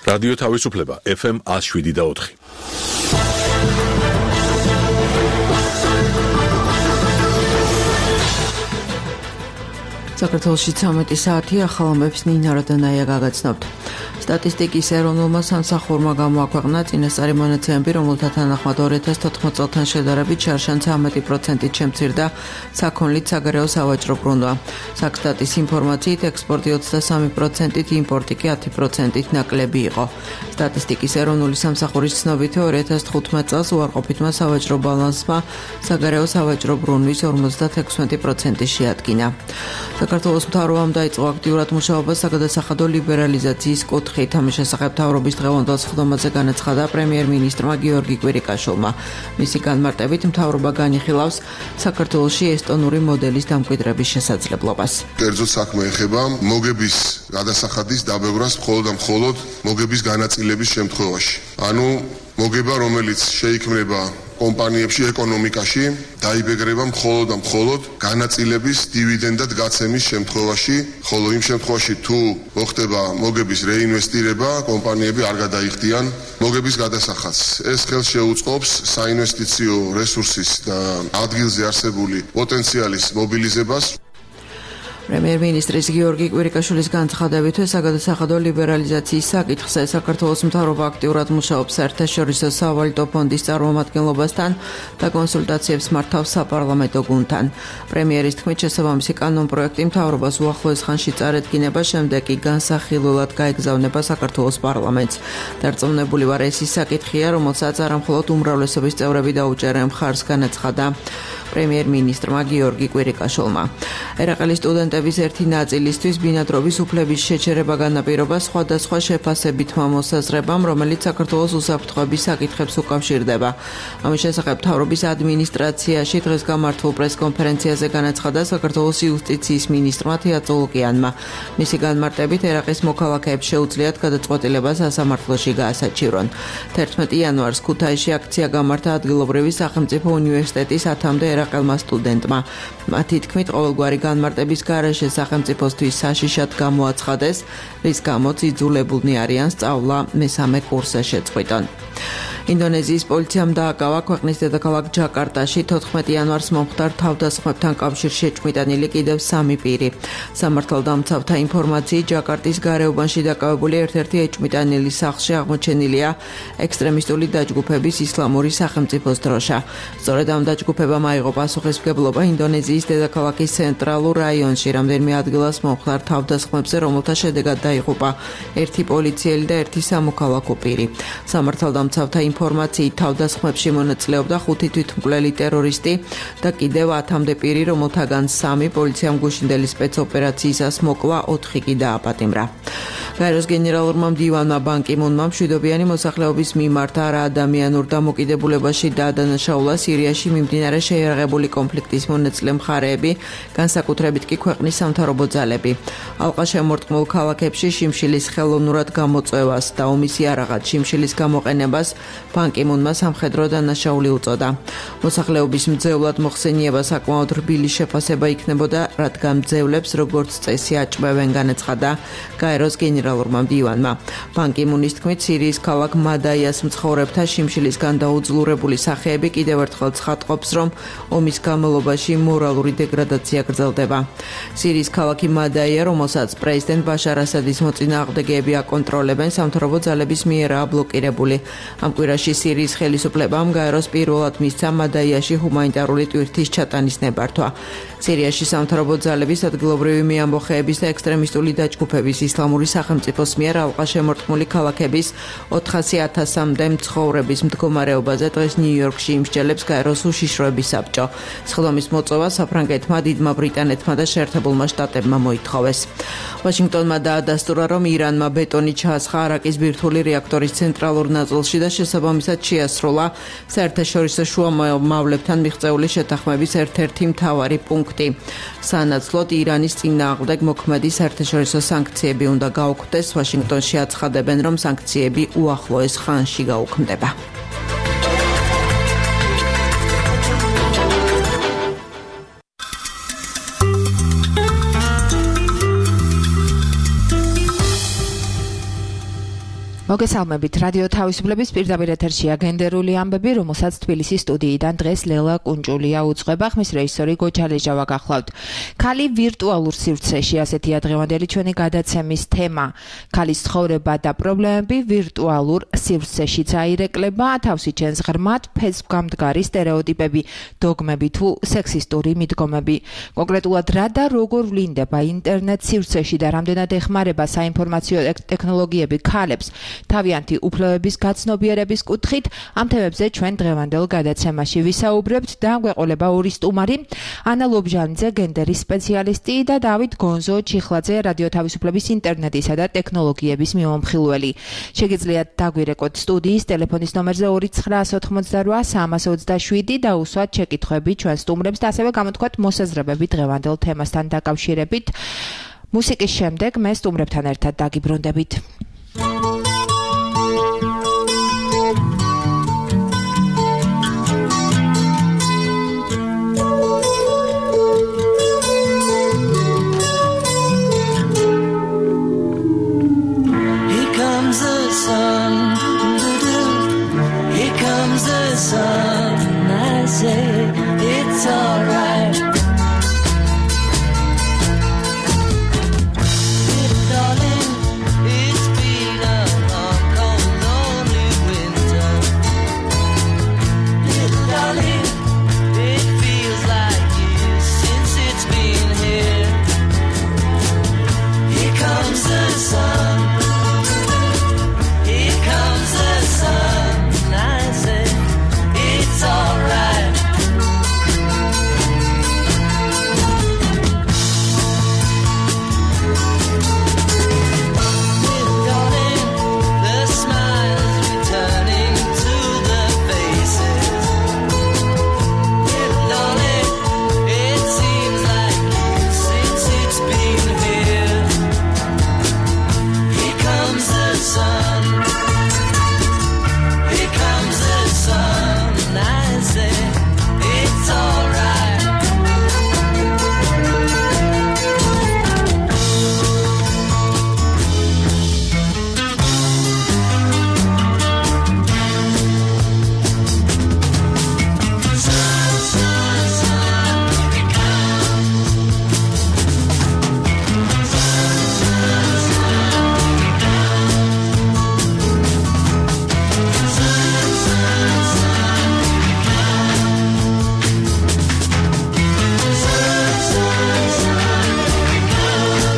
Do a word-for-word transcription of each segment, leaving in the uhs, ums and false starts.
რადიო თავისუფლება ეფ ემ one oh seven და four. საქართველოში ცამეტი საათი ახალამებს ნინა რადანაია გაგაცნობთ. სტატისტიკის ეროვნულმა სამსახურმა გამოაქვეყნა წინასწარი მონაცემები, რომელთა თანახმად two thousand fourteen წელთან შედარებით შარშან thirty პროცენტით შემცირდა საქონლით საგარეო სავაჭრო ბრუნვა. საქსტატის ინფორმაციით ექსპორტი twenty-three პროცენტით, იმპორტი კი ten პროცენტით ნაკლები იყო. სტატისტიკის ეროვნული სამსახურის ცნობით two thousand fifteen წელს უარყოფითმა სავაჭრო ბალანსმა საგარეო სავაჭრო ბრუნვის fifty-six პროცენტი შეადგინა. საქართველოს მთავრობამ დაიწყო აქტიურად მუშაობა საგადასახადო ლიბერალიზაციის კუთხით. ამის შესახებ მთავრობის დღევანდელ სხდომაზე განაცხადა პრემიერ-მინისტრმა გიორგი კვირიკაშვილმა. მისი განმარტებით მთავრობა განიხილავს საქართველოში ესტონური მოდელის დამკვიდრების შესაძლებლობას. კერძო საქმე ეხება მოგების გადასახადის დაბევრას მხოლოდ და მხოლოდ მოგების განაწილების შემთხვევაში. ანუ მოგება, რომელიც შეიქმნება კომპანიებში, ეკონომიკაში, დაიბეგრება მხოლოდ და მხოლოდ განაწილების დივიდენდად გაცემის შემთხვევაში, ხოლო იმ შემთხვევაში თუ მოხდება მოგების რეინვესტირება, კომპანიები არ გადაიხდიან მოგების გადასახადს. ეს ხელს შეუწყობს საინვესტიციო რესურსის და ადგილზე არსებული პოტენციალის მობილიზებას. პრემიერ-მინისტრის გიორგი კვირიკაშვილის განცხადებით, საგადასახადო ლიბერალიზაციის საკითხზე საქართველოს მთავრობა აქტიურად მუშაობს საერთაშორისო სავალუტო ფონდის წარმომადგენლობასთან და კონსულტაციებს მართავს საპარლამენტო გუნდთან. პრემიერის თქმით, შესაბამისი კანონპროექტი მთავრობას უახლოეს ხანში წარედგინება, შემდეგ კი განსახილველად გაეგზავნება საქართველოს პარლამენტს. დარწმუნებული ვარ, ეს ის საკითხია, რომელსაც არა მხოლოდ უმრავლესობის წევრები დაუჭერენ მხარს, განაცხადა პრემიერ-მინისტრმა გიორგი კვირიკაშვილმა. ერაყელის სტუდენტების ერთი ნაწილისთვის ბინადრობის უფლების შეჩერება განაპირობა სხვადასხვა შეფასებითმა მოსაზრებამ, რომელიც საქართველოს უსაფრთხოების საკითხებს უკავშირდება. ამის შესახებ მთავრობის ადმინისტრაციაში დღეს გამართულ პრესკონფერენციაზე განაცხადა საქართველოს იუსტიციის მინისტრმა თეატოლოგიანმა. მისი განმარტებით, ერაყის მოქალაქეებს შეუძლიათ გადაწყვეტილება სასამართლოში გაასაჩივრონ. thirteen იანვარს ქუთაისში აქცია გამართა ადგილობრივი სახელმწიფო უნივერსიტეტის ათამდე ერაყელმა სტუდენტმა. მათი თქმით, ყოველგვარი განმარტების გარეშე სახელმწიფოსთვის საშიშად გამოაცხადეს, რის გამოც იძულებულნი არიან სწავლა მესამე კურსზე შეწყვიტონ. ინდონეზიის პოლიციამ დააკავა ქვეყნის დედაქალაქ ჯაკარტაში fourteen იანვარს მომხდარ თავდასხმებთან კავშირში შეჭმიტანილი კიდევ სამი პირი. სამართალდამცავთა ინფორმაციით, ჯაკარტის გარეუბანში დაკავებული ერთ-ერთი ეჭმიტანილი სახლში აღმოჩენილია ექსტრემისტული დაჯგუფების ისლამური სახელმწიფოს დროშა. სწორედ ამ დაჯგუფებამ აიღო პასუხისმგებლობა ინდონეზიის დედაქალაქის ცენტრალურ რაიონში რამდენიმე ადგილას მომხდარ თავდასხმებზე, რომელთა შედეგად დაიღუპა ერთი პოლიციელი და ერთი სამოქალაქო პირი. სამართალდამცავთა ინფორმაციით, თავდასხმებში მონაწილეობდა ხუთი თვითმკვლელი ტერორისტი და კიდევ ათამდე პირი, რომელთაგან სამი პოლიციამ გუშინდელი სპეცოპერაციისას მოკლა, ოთხი კი დააპატიმრა. გაეროს გენერალურმა მდივანმა ბან კი მუნმა მშვიდობიანი მოსახლეობის მიმართ არა ადამიანურ დამოკიდებულებაში დაადანაშაულა სირიაში მიმდინარე შეიარაღებული კონფლიქტის მონაწილე მხარეები, განსაკუთრებით კი ქვეყნის სამთავრობო ძალები. ალყა შემორტყმულ ქალაქებში შიმშილის ხელოვნურად გამოწვევას და ომის იარაღად შიმშილის გამოყენებას ბან კი მუნმა სამხედრო დანაშაული უწოდა. მოსახლეობის მძევლად მოხსენიება საკმაოდ რბილი შეფასება იქნებოდა, რადგან მძევლებს როგორც წესი აჭმევენ, განაცხადა გაეროს გენერალურმა მდივანმა. ბან კი მუნის თქმით, სირიის ქალაქ მადაიას მცხოვრებთა შიმშილისგან დაუძლურებული სახეები კიდევ ერთხელ ცხადყოფს, რომ ომის განმავლობაში მორალური დეგრადაცია გრძელდება. სირიის ქალაქი მადაია, რომელსაც პრეზიდენტ ბაშარ ასადის მოწინააღმდეგეები აკონტროლებენ, სამთავრობო ძალების მიერაა ბლოკირებული. ამ კვირაში სირიის ხელისუფლებამ გაეროს პირველად მისცა მადაიაში ჰუმანიტარული ტვირთის ჩატანის ნებართვა. სირიაში სამთავრობო ძალების ადგილობრივი მეამბოხეების და ექსტრემისტული დაჯგუფების ისლამური სახელმწიფოს მიერ ალყა შემორტყმული ქალაქების ოთხასი ათასამდე მცხოვრების მდგომარეობაზე დღეს ნიუ-იორკში იმსჯელებს გაეროს უშიშროების საბჭო. სხდომის მოწვევა საფრანგეთმა, დიდმა ბრიტანეთმა და შეერთებულმა შტატებმა მოითხოვეს. ვაშინგტონმა დაადასტურა, რომ ირანმა ბეტონი ჩაასხა არაკის ბირთვული რეაქტორის ცენტრალურ ნაწილში და შესაბამისად შეასრულა საერთაშორისო შუამავლებთან მიღწეული შეთანხმების ერთ-ერთი მთავარი პუნქტი. სანაცვლოდ ირანის წინააღმდეგ მოქმედი საერთაშორისო სანქციები უნდა გაუქმდეს. ვაშინგტონში აცხადებენ, რომ სანქციები უახლოეს ხანში გაუქმდება. მოგესალმებით. რადიო თავისუფლების პირდაპირ ეთერშია გენდერული ამბები, რომელსაც თბილისის სტუდიიდან დღეს ლელა კუნჭულია უძღვება, ხმის რეჟისორი გოჩალეჟავა გახლავთ. ქალი ვირტუალურ სივრცეში, ასეთია დღევანდელი ჩვენი გადაცემის თემა. ქალის ცხოვრება და პრობლემები ვირტუალურ სივრცეში წაირეკლება, თავსი ჩენს ღრმად ფესვგამდგარი სტერეოტიპები, დოგმები თუ სექსისტური მიდგომები. კონკრეტულად რა და როგორ ვლინდება ინტერნეტ სივრცეში და რამდენად ეხმარება საინფორმაციო ტექნოლოგიები ქალებს თავიანთი უფლებების გაცნობიერების კუთხით, ამ თემებზე ჩვენ დღევანდელ გადაცემაში ვისაუბრებთ და გვეყოლება ორი სტუმარი, ანა ლობჟანიძე, გენდერის სპეციალისტი და დავით გონზო ჩიხლაძე, რადიო თავისუფლების ინტერნეტისა და ტექნოლოგიების მიმომხილველი. შეგიძლიათ დაგვირეკოთ სტუდიის ტელეფონის ნომერზე ორი ცხრა ოთხმოცდარვა სამას ოცდაშვიდი და უსვათ შეკითხვები ჩვენ სტუმრებს და ასევე გამოთქვათ მოსაზრებები დღევანდელ თემასთან დაკავშირებით. მუსიკის შემდეგ მე სტუმრებთან ერთად დაგიბრუნდებით. Sun, I say it's alright. Darling, it's been a long, cold, lonely winter. Little darling, it feels like years since it's been here. Here comes the sun. Here comes the sun, I say. It's alright. Little darling, the smiles returning to the faces. Little darling, it seems like years since it's been here. Here comes the sun. Here comes the sun. I say it's alright. Sun, sun, sun, here it comes. Sun, sun, sun, here it comes. Sun, sun, sun, here it comes. Sun, sun, sun,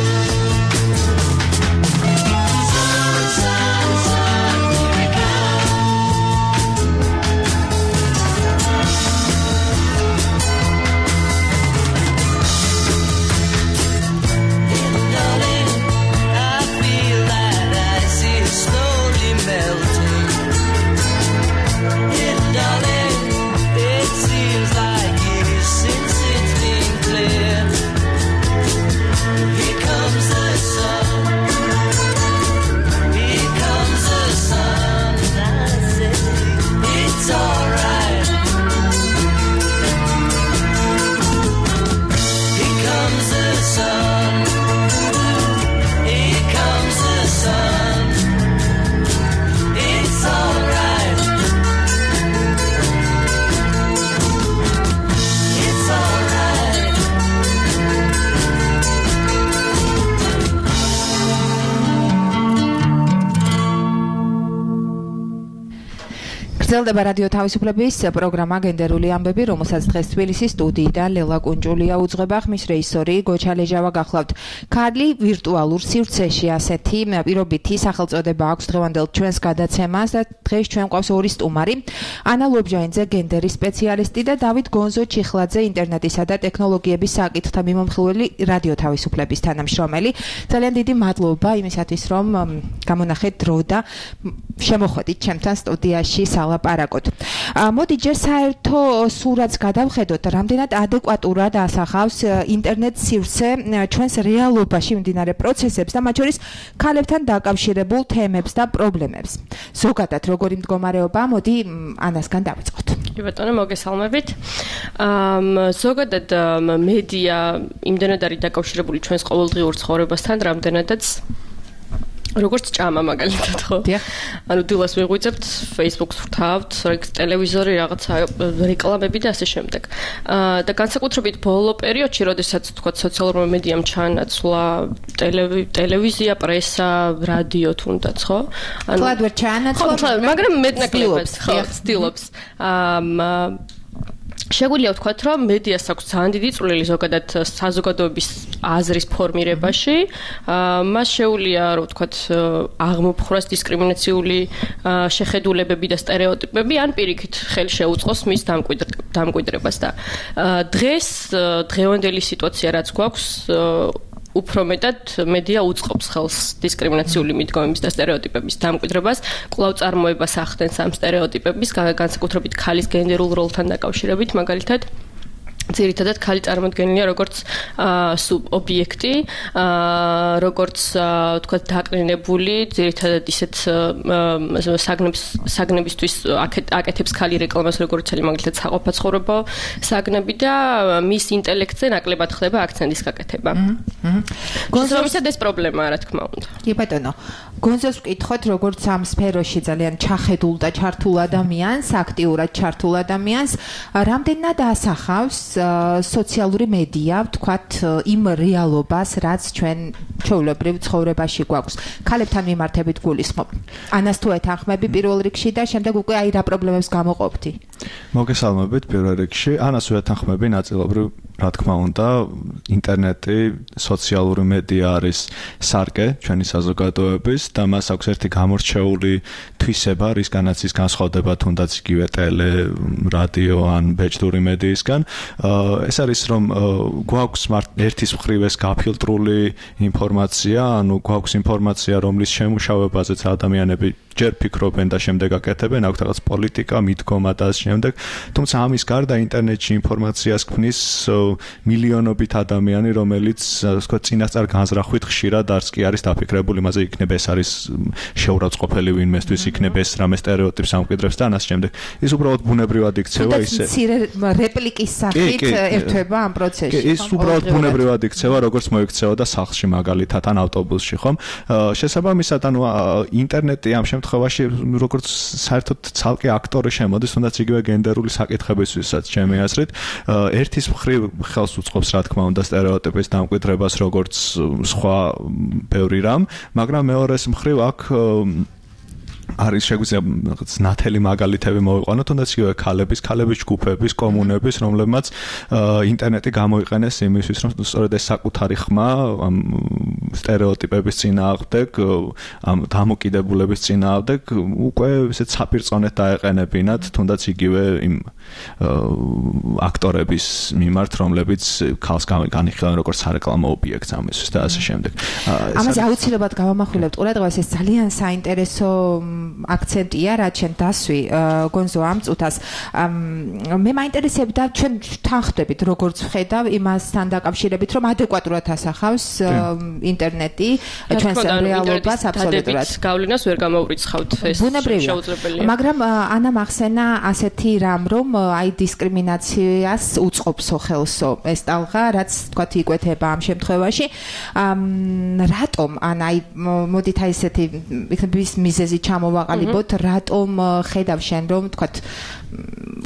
here it comes. Sun, sun, sun, here it comes. Little darling, I feel that ice is slowly melting. Little darling, it seems like years since it's been clear. Here comes the sun. Here comes the sun. I say it's alright. Here comes the sun. Here comes the sun. It's alright. It's alright. გრძელდება რადიო თავისუფლების პროგრამა გენდერული ამბები, რომელსაც დღეს თბილისის სტუდიიდან ლელა კუნჭულია უძღვება, ხმის რეჟისორი გოჩალეჟავა გახლავთ. ქალი ვირტუალურ სივრცეში, ასეთი პირობითი სახელწოდება აქვს დღევანდელ ჩვენს გადაცემას და დღეს ჩვენ გვყავს ორი სტუმარი, ანა ლობჟანიძე, გენდერის სპეციალისტი და დავით გონზო ჩიხლაძე, ინტერნეტისა და ტექნოლოგიების საკითხთა მიმომხილველი, რადიო თავისუფლების თანამშრომელი. ძალიან დიდი მადლობა იმისათვის, რომ გამონახეთ დრო და შემოხვედით ჩემთან სტუდიაში სალაპარაკოთ. მოდი ჯერ საერთო სურათს გადავხედოთ, რამდენად ადეკვატურად ასახავს ინტერნეტ სივრცე ჩვენს რეალობაში მიმდინარე პროცესებს და მათ შორის ქალებთან დაკავშირებულ თემებს და პრობლემებს. ზოგადად როგორი მდგომარეობა, მოდი ანასგან დავიწყოთ. კი ბატონო, მოგესალმებით. აა ზოგადად მედია იმდენად არის დაკავშირებული ჩვენს ყოველდღიურ ცხოვრებასთან, რამდენადაც როგორც ჭამა მაგალითად ხო? ანუ დილას ვიღვიძებთ, Facebook-ს ვთავთ, ტელევიზორი, რაღაცა რეკლამები და ასე შემდეგ. აა და განსაკუთრებით ბოლო პერიოდში, როდესაც თქვა სოციალურმა მედიამ ჩაანაცვლა ტელევიზია, პრესა, რადიო თუნდაც, ხო? ანუ კლად ვერ ჩაანაცვლა, მაგრამ მეტნაკლებად ხო, ცდილობს. აა შეგვიძლია ვთქვათ, რომ მედიას აქვს ძალიან დიდი წვლილი ზოგადად საზოგადოების აზრის ფორმირებაში. მას შეუძლია, რომ ვთქვათ, აღმოფხვრას დისკრიმინაციული შეხედულებები და სტერეოტიპები, ან პირიქით ხელი შეუწყოს მის დამკვიდრებას და დღეს დღევანდელი სიტუაცია რაც გვაქვს უფრო მეტად მედია უწყობს ხელს დისკრიმინაციული მიდგომების და სტერეოტიპების დამკვიდრებას, კვლავ წარმოებას ახდენს ამ სტერეოტიპების, განსაკუთრებით ქალის გენდერულ როლთან დაკავშირებით, მაგალითად ძირითადად ქალი წარმოდგენილია როგორც სუბ-ობიექტი, როგორც თქვა დაკნინებული, ძირითადად ისეთ საგნებს საგნებისთვის აკეთებს ქალი რეკლამას, როგორც არის მაგალითად საყოფაცხოვრებო საგნები და მის ინტელექტზე ნაკლებად ხდება აქცენტის გაკეთება. გონზოებისად ეს პრობლემაა, რა თქმა უნდა. კი ბატონო, გონზოს ვკითხოთ, როგორც ამ სფეროში ძალიან ჩახედულ და ჩართულ ადამიანს, აქტიურად ჩართულ ადამიანს, რამდენად ასახავს სოციალური მედია, ვთქვათ, იმ რეალობას, რაც ჩვენ ჩვეულებრივ ცხოვრებაში გვაქვს. ქალებთან მიმართებით გულისხმობ. ანას თუ ეთანხმები პირველ რიგში და შემდეგ უკვე აი რა პრობლემებს გამოყოფდი. მოგესალმებით პირველ რიგში. ანას ვეთანხმები ნაწილობრივ, რა თქმა უნდა, ინტერნეტი, სოციალური მედია არის სარკე ჩვენი საზოგადოების და მას აქვს ერთი გამორჩეული თვისება, რისგანაც ის განსხვავდება თუნდაც იგივე ტელე, რადიო ან ბეჭდური მედიისგან. ეს არის რომ გვაქვს ერთის მხრივ ეს გაფილტრული ინფორმაცია, ანუ გვაქვს ინფორმაცია, რომლის შემუშავებაზეც ადამიანები ჯერ ფიქრობენ და შემდეგ აკეთებენ, აქვს რაღაც პოლიტიკა, მიდგომა და ამ შემდეგ. თუმცა ამის გარდა ინტერნეტში ინფორმაციას ქმნის მილიონობით ადამიანი, რომელიც თქვა წინასწარ განზრახვით ხშირად არც კი არის დაფიქრებული, იმაზე იქნება ეს არის შეურაცხყოფელი ვინმესთვის, იქნება ეს რამე სტერეოტიპს ამკვიდრებს და ამ შემდეგ. ის უბრალოდ ბუნებრივად იქცევა ისე. მცირე რეპლიკის სახით ერთვება ამ პროცესში. კი, ის უბრალოდ ბუნებრივად იქცევა, როგორც მოიქცეოდა სახლში მაგალითად ან ავტობუსში, ხომ? შესაბამისად, ანუ ინტერნეტი ამ შემთხვევაში როგორც საერთოდ ცალკე აქტორი შემოდის, თუნდაც იგივე გენდერული საკითხებისთვისაც ჩემი აზრით, ერთის მხრივ ხელს უწყობს, რა თქმა უნდა, სტერეოტიპის დამკვიდრებას, როგორც სხვა ბევრი რამ, მაგრამ მეორეს მხრივ აქ არის შეგვიძლია რაღაც ნათელი მაგალითები მოვიყვანოთ, თუნდაც იგივე ქალების, ქალების ჯგუფების, კომუნების, რომლებმაც ინტერნეტი გამოიყენეს იმისთვის, რომ სწორედ ეს საკუთარი ხმა ამ სტერეოტიპების წინააღმდეგ, ამ დამოკიდებულების წინააღმდეგ უკვე ესეც საპირწონედ დაეყენებინათ, თუნდაც იგივე იმ აქტორების მიმართ, რომლებიც ქალს განიხილავენ როგორც სარეკლამო ობიექტს ამისთვის და ასე შემდეგ. ამაზე აუცილებლად გავამახვილებთ ყურადღებას, ეს ძალიან საინტერესო აქცენტია, რაც შენ დასვი გონზო ამ წუთას. მე მაინტერესებდა ჩვენ თანხდებით, როგორც ვხედავ იმასთან დაკავშირებით, რომ ადეკვატურად ასახავს ინტერნეტი ჩვენს რეალობას აბსოლუტურად. გავლენას ვერ გამოვრიცხავთ ეს შეუძლებელია. მაგრამ ანა მახსენა ასეთი რამ, რომ აი დისკრიმინაციას უწყობს ხელსო ეს ტალღა, რაც თქვათ იკვეთება ამ შემთხვევაში. რატომ ან აი მოდით აი ესეთი მიზეზი ჩამოვაყალიბოთ, რატომ ხედავ შენ რომ თქვათ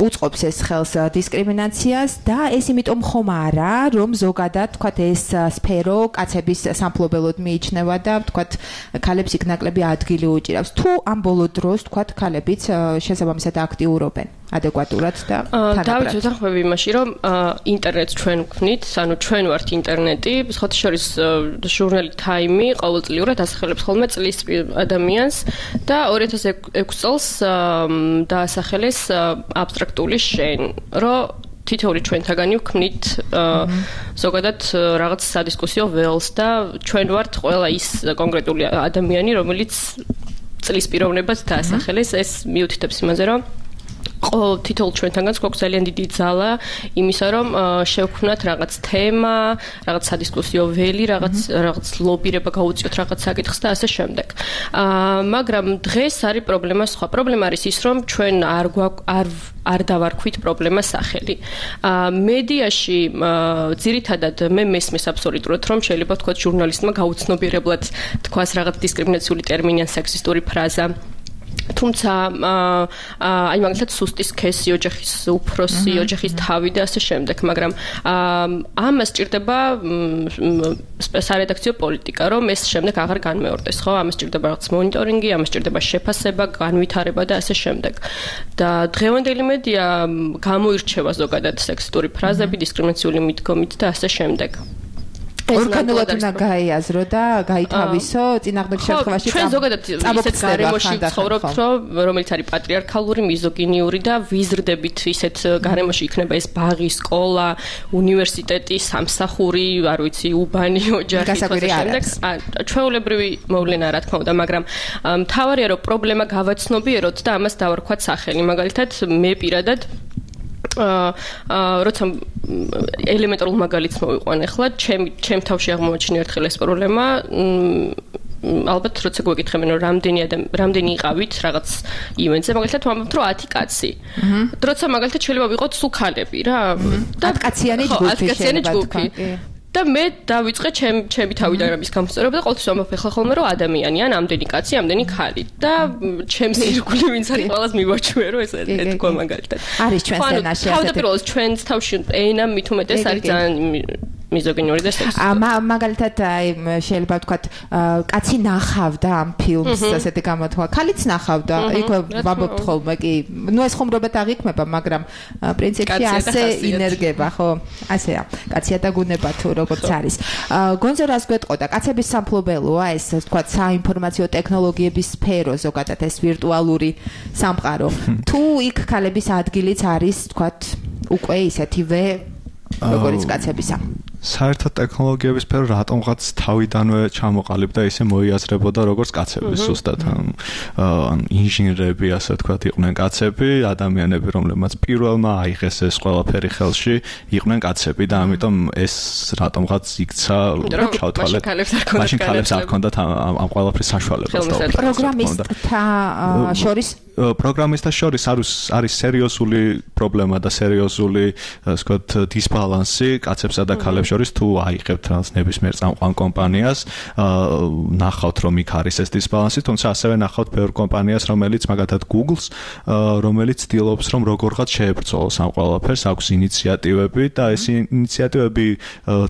უწყობს ეს ხელს დისკრიმინაციას და ეს იმიტომ ხომ არა, რომ ზოგადად თქვათ ეს სფერო კაცების სამფლობელოდ მიიჩნევა და თქვათ ქალებს იქ ნაკლები ადგილი უჭირავს. თუ ამ ბოლო დროს თქვათ ქალებიც შესაბამისად აქტიურობენ ადეკვატურად და თანაბრად. დავით ვეთანხმები იმაში, რომ ინტერნეტს ჩვენ ვქნით, ანუ ჩვენ ვართ ინტერნეტი, სხვათა შორის ჟურნალი Time ყოველწლიურად ასახელებს ხოლმე წლის ადამიანს და ორი ათას ექვსი წელს დაასახელეს აბსტრაქტული შენ, რომ თითოეული ჩვენთაგანი ვქმნით ზოგადად რაღაც სადისკუსიო ველს და ჩვენ ვართ ყველა ის კონკრეტული ადამიანი, რომელიც წლის პიროვნებას დაასახელეს, ეს მიუთითებს იმაზე, რომ ყოველ თითოეულ ჩვენთანგანს გვაქვს ძალიან დიდი ძალა იმისა, რომ შევქმნათ რაღაც თემა, რაღაც სადისკუსიო ველი, რაღაც რაღაც ლობირება გაუწიოთ რაღაც საკითხს და ასე შემდეგ. აა მაგრამ დღეს არის პრობლემა სხვა. პრობლემა არის ის, რომ ჩვენ არ არ არ დავარქვით პრობლემას სახელი. აა მედიაში ძირითადად მე მესმის აბსოლუტურად, რომ შეიძლება ვთქვათ ჟურნალისტმა გაუცნობიერებლად თქვას რაღაც დისკრიმინაციული ტერმინი ან სექსისტური ფრაზა. თუმცა აი მაგალითად სუსტი სქესი, ოჯახის უფროსი, ოჯახის თავი და ასე შემდეგ, მაგრამ ამას სჭირდება სარედაქციო პოლიტიკა, რომ ეს შემდეგ აღარ განმეორდეს, ხო? ამას სჭირდება რაღაც მონიტორინგი, ამას სჭირდება შეფასება, განვითარება და ასე შემდეგ. და დღევანდელი მედია გამოირჩევა ზოგადად სექსისტური ფრაზები, დისკრიმინაციული მიდგომით და ასე შემდეგ. ორგანულად უნდა გაიაზრო და გაითავისო წინააღმდეგ შემთხვევაში ჩვენ ზოგადად ისეთ გარემოში ვცხოვრობთ, რომელიც არის პატრიარქალური, მიზოგინიური და ვიზრდებით ისეთ გარემოში იქნება ეს ბაღი, სკოლა, უნივერსიტეტი, სამსახური, არ ვიცი, უბანი, ოჯახი და შემდეგ. ჩვეულებრივი მოვლენა რა თქმა უნდა, მაგრამ მთავარია რომ პრობლემა გავაცნობიეროთ და ამას დავარქვათ სახელი. მაგალითად, მე პირადად აა როცა ელემენტარულ მაგალითს მოვიყვან ახლა, ჩემ ჩემ თავში აღმოაჩინე ერთხელ ეს პრობლემა. ალბათ როცა გვეკითხებენ რომ რამდენი ადამიანი რამდენი იყავით რაღაც ივენტზე, მაგალითად ვამბობთ რომ ათი კაცი. როცა მაგალითად შეიძლება ვიყოთ სულ ქალები რა. ათი კაციანი ჯგუფი შეიძლება. და მე დავიწყე ჩემ ჩემი თავიდან რამის გამოსწორება და ყოველთვის ვამბობ ახლა ხოლმე რომ ადამიანია, ამდენი კაცი, ამდენი ხალი და ჩემს ირგვლივ ვინც არის ყველას მივაჩვე რომ ეს ეთქვა მაგალითად. არის ჩვენს ენაში ასეთი. თავდაპირველად ჩვენს თავში ენა მით უმეტეს არის ძალიან მიზოგინური და სექსისტური. აა მაგალითად აი შეიძლება ვთქვათ კაცი ნახავდა ამ ფილმს ასეთი გამოთქვა. ქალიც ნახავდა. იქ ვამბობთ ხოლმე კი. ნუ ეს ხუმრობად აღიქმება, მაგრამ პრინციპში ასე ინერგება, ხო? ასეა. კაცია და გუნება თუ როგორც არის. გონზო რას გვეტყოდა? კაცების სამფლობელოა ეს ვთქვათ საინფორმაციო ტექნოლოგიების სფერო ზოგადად ეს ვირტუალური სამყარო. თუ იქ ქალების ადგილიც არის ვთქვათ უკვე ისეთივე როგორც კაცებისა. საერთოდ ტექნოლოგიების სფერო რატომღაც თავიდანვე ჩამოყალიბდა ისე მოიაზრებოდა როგორც კაცების ზუსტად ან ინჟინრები ასე ვთქვათ იყვნენ კაცები, ადამიანები რომლებმაც პირველმა აიღეს ეს ყველაფერი ხელში იყვნენ კაცები და ამიტომ ეს რატომღაც იქცა ჩავთვალეთ. მაშინ ქალებს არ ჰქონდათ ამ ყველაფრის საშუალება. პროგრამისტთა შორის პროგრამისტთა შორის არის არის სერიოზული პრობლემა და სერიოზული ასე ვთქვათ დისბალანსი კაცებსა და ქალებს შორის თუ აიღებთ რაღაც ნებისმიერ წამყვან კომპანიას, ნახავთ რომ იქ არის ეს დისბალანსი, თუმცა ასევე ნახავთ ბევრ კომპანიას, რომელიც მაგალითად Google-ს, რომელიც ცდილობს რომ როგორღაც შეებრძოლოს ამ ყველაფერს, აქვს ინიციატივები და ეს ინიციატივები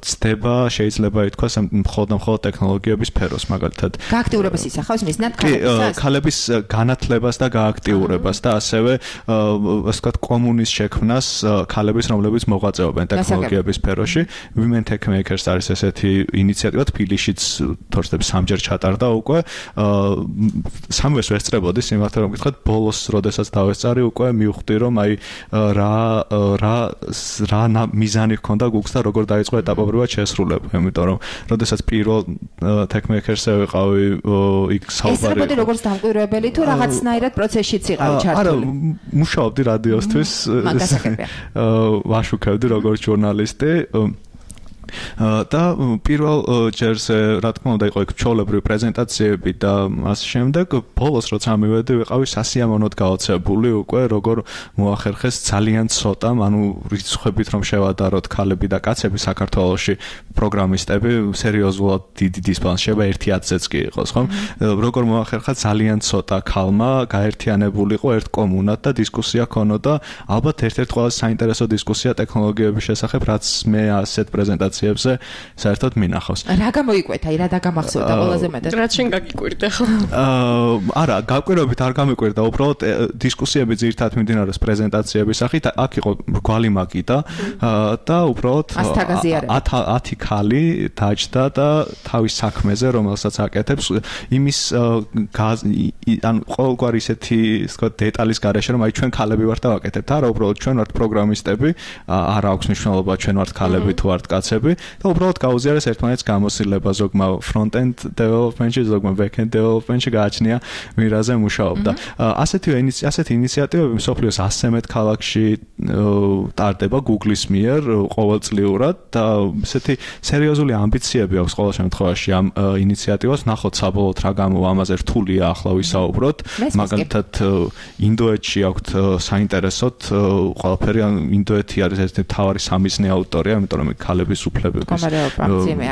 ცდება, შეიძლება ითქვას, მხოლოდ მხოლოდ ტექნოლოგიების სფეროს, მაგალითად. გააქტიურებას ისახავს მიზნად ქალებისას? ქალების განათლებას და გააქტიურებას და ასევე ასე ვთქვათ კომუნის შექმნას ქალების, რომლებიც მოღვაწეობენ ტექნოლოგიების სფეროში. Women Tech Makers არის ესეთი ინიციატივა, თბილისშიც თორსდებს სამჯერ ჩატარდა უკვე. სამვეს ვესწრებოდი, სიმართლე რომ გითხრათ, ბოლოს როდესაც დავესწარი უკვე მივხვდი რომ აი რა რა რა მიზანი ჰქონდა Google-ს და როგორ დაიწყო ეტაპობრივად შესრულება, იმიტომ რომ როდესაც პირველ Tech Makers-ზე ვიყავი იქ საუბარი. ეს როგორ დამკვირვებელი თუ რაღაცნაირად პროცესშიც იყავი ჩართული? არა, მუშაობდი რადიოსთვის. ვაშუქებდი როგორც ჟურნალისტი. და პირველ ჯერზე რა თქმა უნდა იყო იქ ჩოლებრივი პრეზენტაციები და ასე შემდეგ. ბოლოს როცა მივედი ვიყავი სასიამოვნოდ გაოცებული უკვე როგორ მოახერხეს ძალიან ცოტა, ანუ რიცხვებით რომ შევადაროთ ქალები და კაცები საქართველოში პროგრამისტები სერიოზულად დიდი დისბალანსი შეიძლება ერთი ათზეც კი იყოს, ხო? როგორ მოახერხა ძალიან ცოტა ქალმა გაერთიანებულიყო ერთ კომუნად და დისკუსია ქონოდა, ალბათ ერთ-ერთი ყველაზე საინტერესო დისკუსია ტექნოლოგიების შესახებ, რაც მე ასეთ პრეზენტაციებში ზე საერთოდ მინახავს. რა გამოიკვეთა, აი რა დაგამახსოვდა ყველაზე მეტად? რაც შენ გაგიკვირდა ხო? აა არა, გაკვირვებით არ გამიკვირდა, უბრალოდ დისკუსიები ძირითადად მიმდინარეობს პრეზენტაციების სახით. აქ იყო მრგვალი მაგიდა და უბრალოდ ათი ქალი დაჯდა და თავის საქმეზე, რომელსაც აკეთებს, იმის ანუ ყოველგვარი ისეთი, ვთქვა, დეტალის გარეშე, რომ აი ჩვენ ქალები ვართ და ვაკეთებთ. არა, უბრალოდ ჩვენ ვართ პროგრამისტები, არ აქვს მნიშვნელობა ჩვენ ვართ ქალები თუ ვართ კაცები. პროცესები და უბრალოდ გაუზიარეს ერთმანეთს გამოსილება ზოგმა front-end development-ში, ზოგმა back-end development-ში გააჩნია მირაზე მუშაობდა. ასეთი ასეთი ინიციატივები მსოფლიოს ასზე მეტ ქალაქში ტარდება Google-ის მიერ ყოველწლიურად და ესეთი სერიოზული ამბიციები აქვს ყოველ შემთხვევაში ამ ინიციატივას. ნახოთ საბოლოოდ რა გამოვა, ამაზე რთულია ახლა ვისაუბროთ. მაგალითად ინდოეთში აქვთ საინტერესოდ ყველაფერი, ინდოეთი არის ერთ-ერთი მთავარი სამიზნე ავტორია, იმიტომ რომ ქალების უფლებების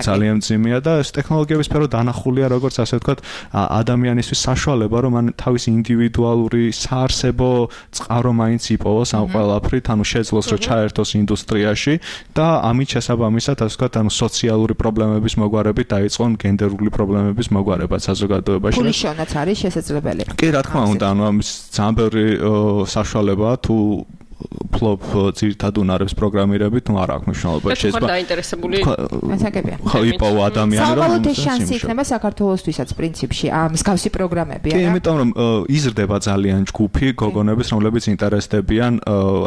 ძალიან მძიმეა და ეს ტექნოლოგიების სფერო დანახულია როგორც ასე ვთქვათ ადამიანისთვის საშუალება, რომ მან თავის ინდივიდუალური საარსებო წყარო მაინც იპოვოს ამ ყველაფრით, ანუ შეძლოს რომ ჩაერთოს ინდუსტრიაში და ამით შესაბამისად ასე ვთქვათ ანუ სოციალური პრობლემების მოგვარებით დაიწყონ გენდერული პრობლემების მოგვარებაც საზოგადოებაში. ფულიშონაც არის შესაძლებელი. კი, რა თქმა უნდა, ანუ ამის ძალიან ბევრი საშუალებაა თუ ფლოპ ძირთად უნარებს პროგრამირებით, ну არ აქვს მნიშვნელობა. შეიძლება დაინტერესებული ასაკებია. ხო, იპოვო ადამიანი რომ საბოლოოდ ეს შანსი იქნება საქართველოსთვისაც პრინციპში, ამ მსგავსი პროგრამები, არა? კი, იმიტომ რომ იზრდება ძალიან ჯგუფი გოგონების, რომლებიც ინტერესდებიან,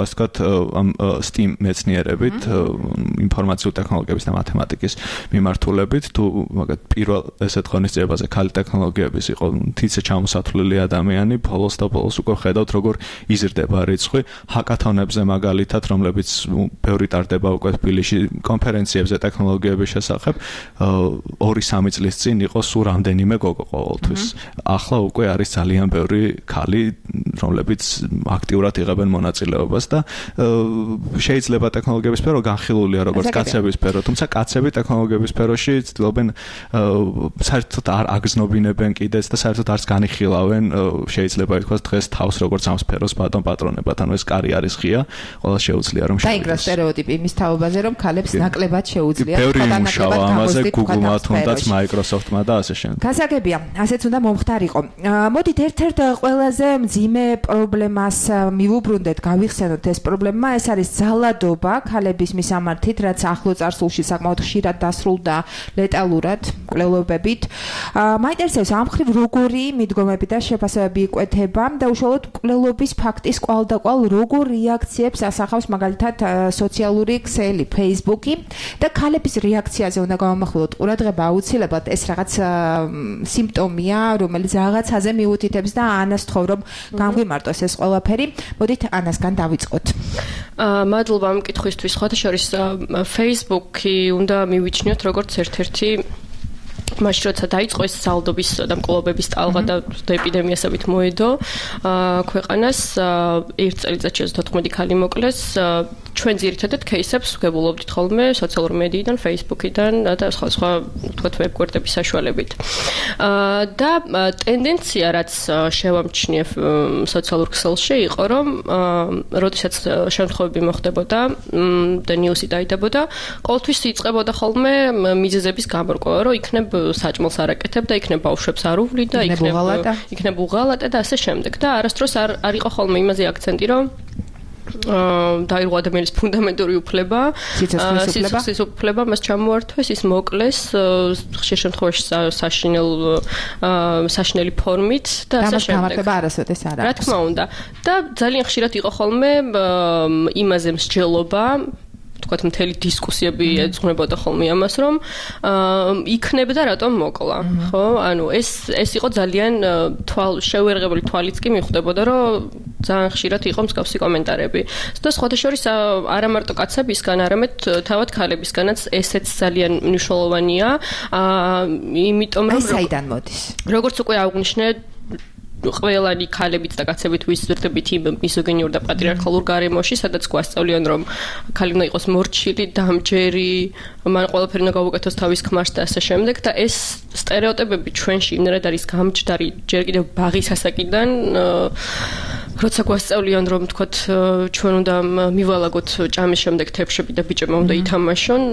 ასე ვთქვათ, ამ STEAM მეცნიერებით, ინფორმაციული ტექნოლოგიების და მათემატიკის მიმართულებით, თუ მაგათ პირველ ესეთ ღონისძიებაზე ქალი ტექნოლოგიების იყო თითზე ჩამოსათვლელი ადამიანი, ბოლოს და ბოლოს უკვე ხედავთ, როგორ იზრდება რიცხვი. ჰაკათონებზე მაგალითად, რომლებიც ბევრი ტარდება უკვე თბილისში კონფერენციებზე ტექნოლოგიების შესახებ, ორი სამი წლის წინ იყო სულ რამდენიმე გოგო ყოველთვის. ახლა უკვე არის ძალიან ბევრი ქალი, რომლებიც აქტიურად იღებენ მონაწილეობას და შეიძლება ტექნოლოგიების სფერო განხილულია როგორც კაცების სფერო, თუმცა კაცები ტექნოლოგიების სფეროში ცდილობენ საერთოდ არ აგზნობინებენ კიდეც და საერთოდ არც განიხილავენ, შეიძლება ითქვას დღეს თავს როგორც ამ სფეროს ბატონ პატრონებად, ანუ ეს კარი არის ღია, ყველა შეუძლია რომ დაიგრა სტერეოტიპი იმის თაობაზე, რომ ქალებს ნაკლებად შეუძლიათ ბევრი მუშაობა ამაზე Google-მა თუნდაც Microsoft-მა და ასე შემდეგ. გასაგებია, ასეც უნდა მომხდარიყო. მოდით ერთ-ერთ ყველაზე მძიმე პრობლემას მივუბრუნდეთ, გავიხსენოთ ეს პრობლემა, ეს არის ძალადობა ქალების მისამართით, რაც ახლო წარსულში საკმაოდ ხშირად დასრულდა ლეტალურად, კვლევებებით. მაინტერესებს ამ ხრივ როგორი მიდგომები და შეფასებები იკვეთება და უშუალოდ კვლევების ფაქტის კვალ და კვალ როგორ რეაქციებს ასახავს მაგალითად სოციალური ქსელი, Facebook-ი და ქალების რეაქციაზე უნდა გავამახვილოთ ყურადღება აუცილებლად, ეს რაღაც სიმპტომია, რომელიც რაღაცაზე მიუთითებს და ანას თხოვ რომ გამგვიმარტოს ეს ყველაფერი. მოდით ანასგან დავიწყოთ. აა მადლობა ამ კითხვისთვის. სხვათა შორის Facebook-ი უნდა მივიჩნიოთ როგორც ერთ-ერთი მაშინ როცა დაიწყო ეს ძალადობის და მკვლობების ტალღა და ეპიდემიასებით მოედო ქვეყანას ერთ წელიწადში თოთხმეტი ქალი მოკლეს. ჩვენ ძირითადად кейსებს ვგებულობდით ხოლმე სოციალურ მედიიდან, Facebook-იდან და სხვა სხვა თქვათ ვებგვერდების საშუალებით. და ტენდენცია რაც შევამჩნიე სოციალურ ქსელში იყო, რომ როდესაც შემთხვევები მოხდებოდა და ნიუსი დაიდებოდა, ყოველთვის იწყებოდა ხოლმე მიზეზების გამორკვევა, რომ იქნებ საჭმელს არ აკეთებ და იქნებ ბავშვებს არ უვლი და იქნებ იქნებ უღალატე და ასე შემდეგ. და არასდროს არ არ იყო ხოლმე იმაზე აქცენტი, რომ დაირღვა ადამიანის ფუნდამენტური უფლება, სიცოცხლის უფლება, მას ჩამოართვეს, ის მოკლეს ხშირ შემთხვევაში საშინელ საშინელი ფორმით და ასე შემდეგ. გამართება არასოდეს არ არის. რა თქმა უნდა. და ძალიან ხშირად იყო ხოლმე იმაზე მსჯელობა, თქვათ მთელი დისკუსიები ეძღვნებოდა ხოლმე ამას, რომ იქნებდა რატომ მოკლა, ხო? ანუ ეს ეს იყო ძალიან თვალ შევერღებული თვალიც კი მიხვდებოდა, რომ ძალიან ხშირად იყო მსგავსი კომენტარები. და სხვათა შორის არა მარტო კაცებისგან, არამედ თავად ქალებისგანაც ესეც ძალიან მნიშვნელოვანია. იმიტომ რომ საიდან მოდის? როგორც უკვე აღვნიშნე, ყველანი ქალებიც და კაცებით ვიზრდებით იმ მიზოგინიურ და პატრიარქალურ გარემოში, სადაც გვასწავლიან, რომ ქალი უნდა იყოს მორჩილი, დამჯერი, მან ყველაფერი უნდა გავუკეთოს თავის ქმარს და ასე შემდეგ და ეს სტერეოტიპები ჩვენში იმდენად არის გამჯდარი, ჯერ კიდევ ბაღის ასაკიდან, როცა გვასწავლიან, რომ თქვათ ჩვენ უნდა მივალაგოთ ჭამის შემდეგ თეფშები და ბიჭებმა უნდა ითამაშონ,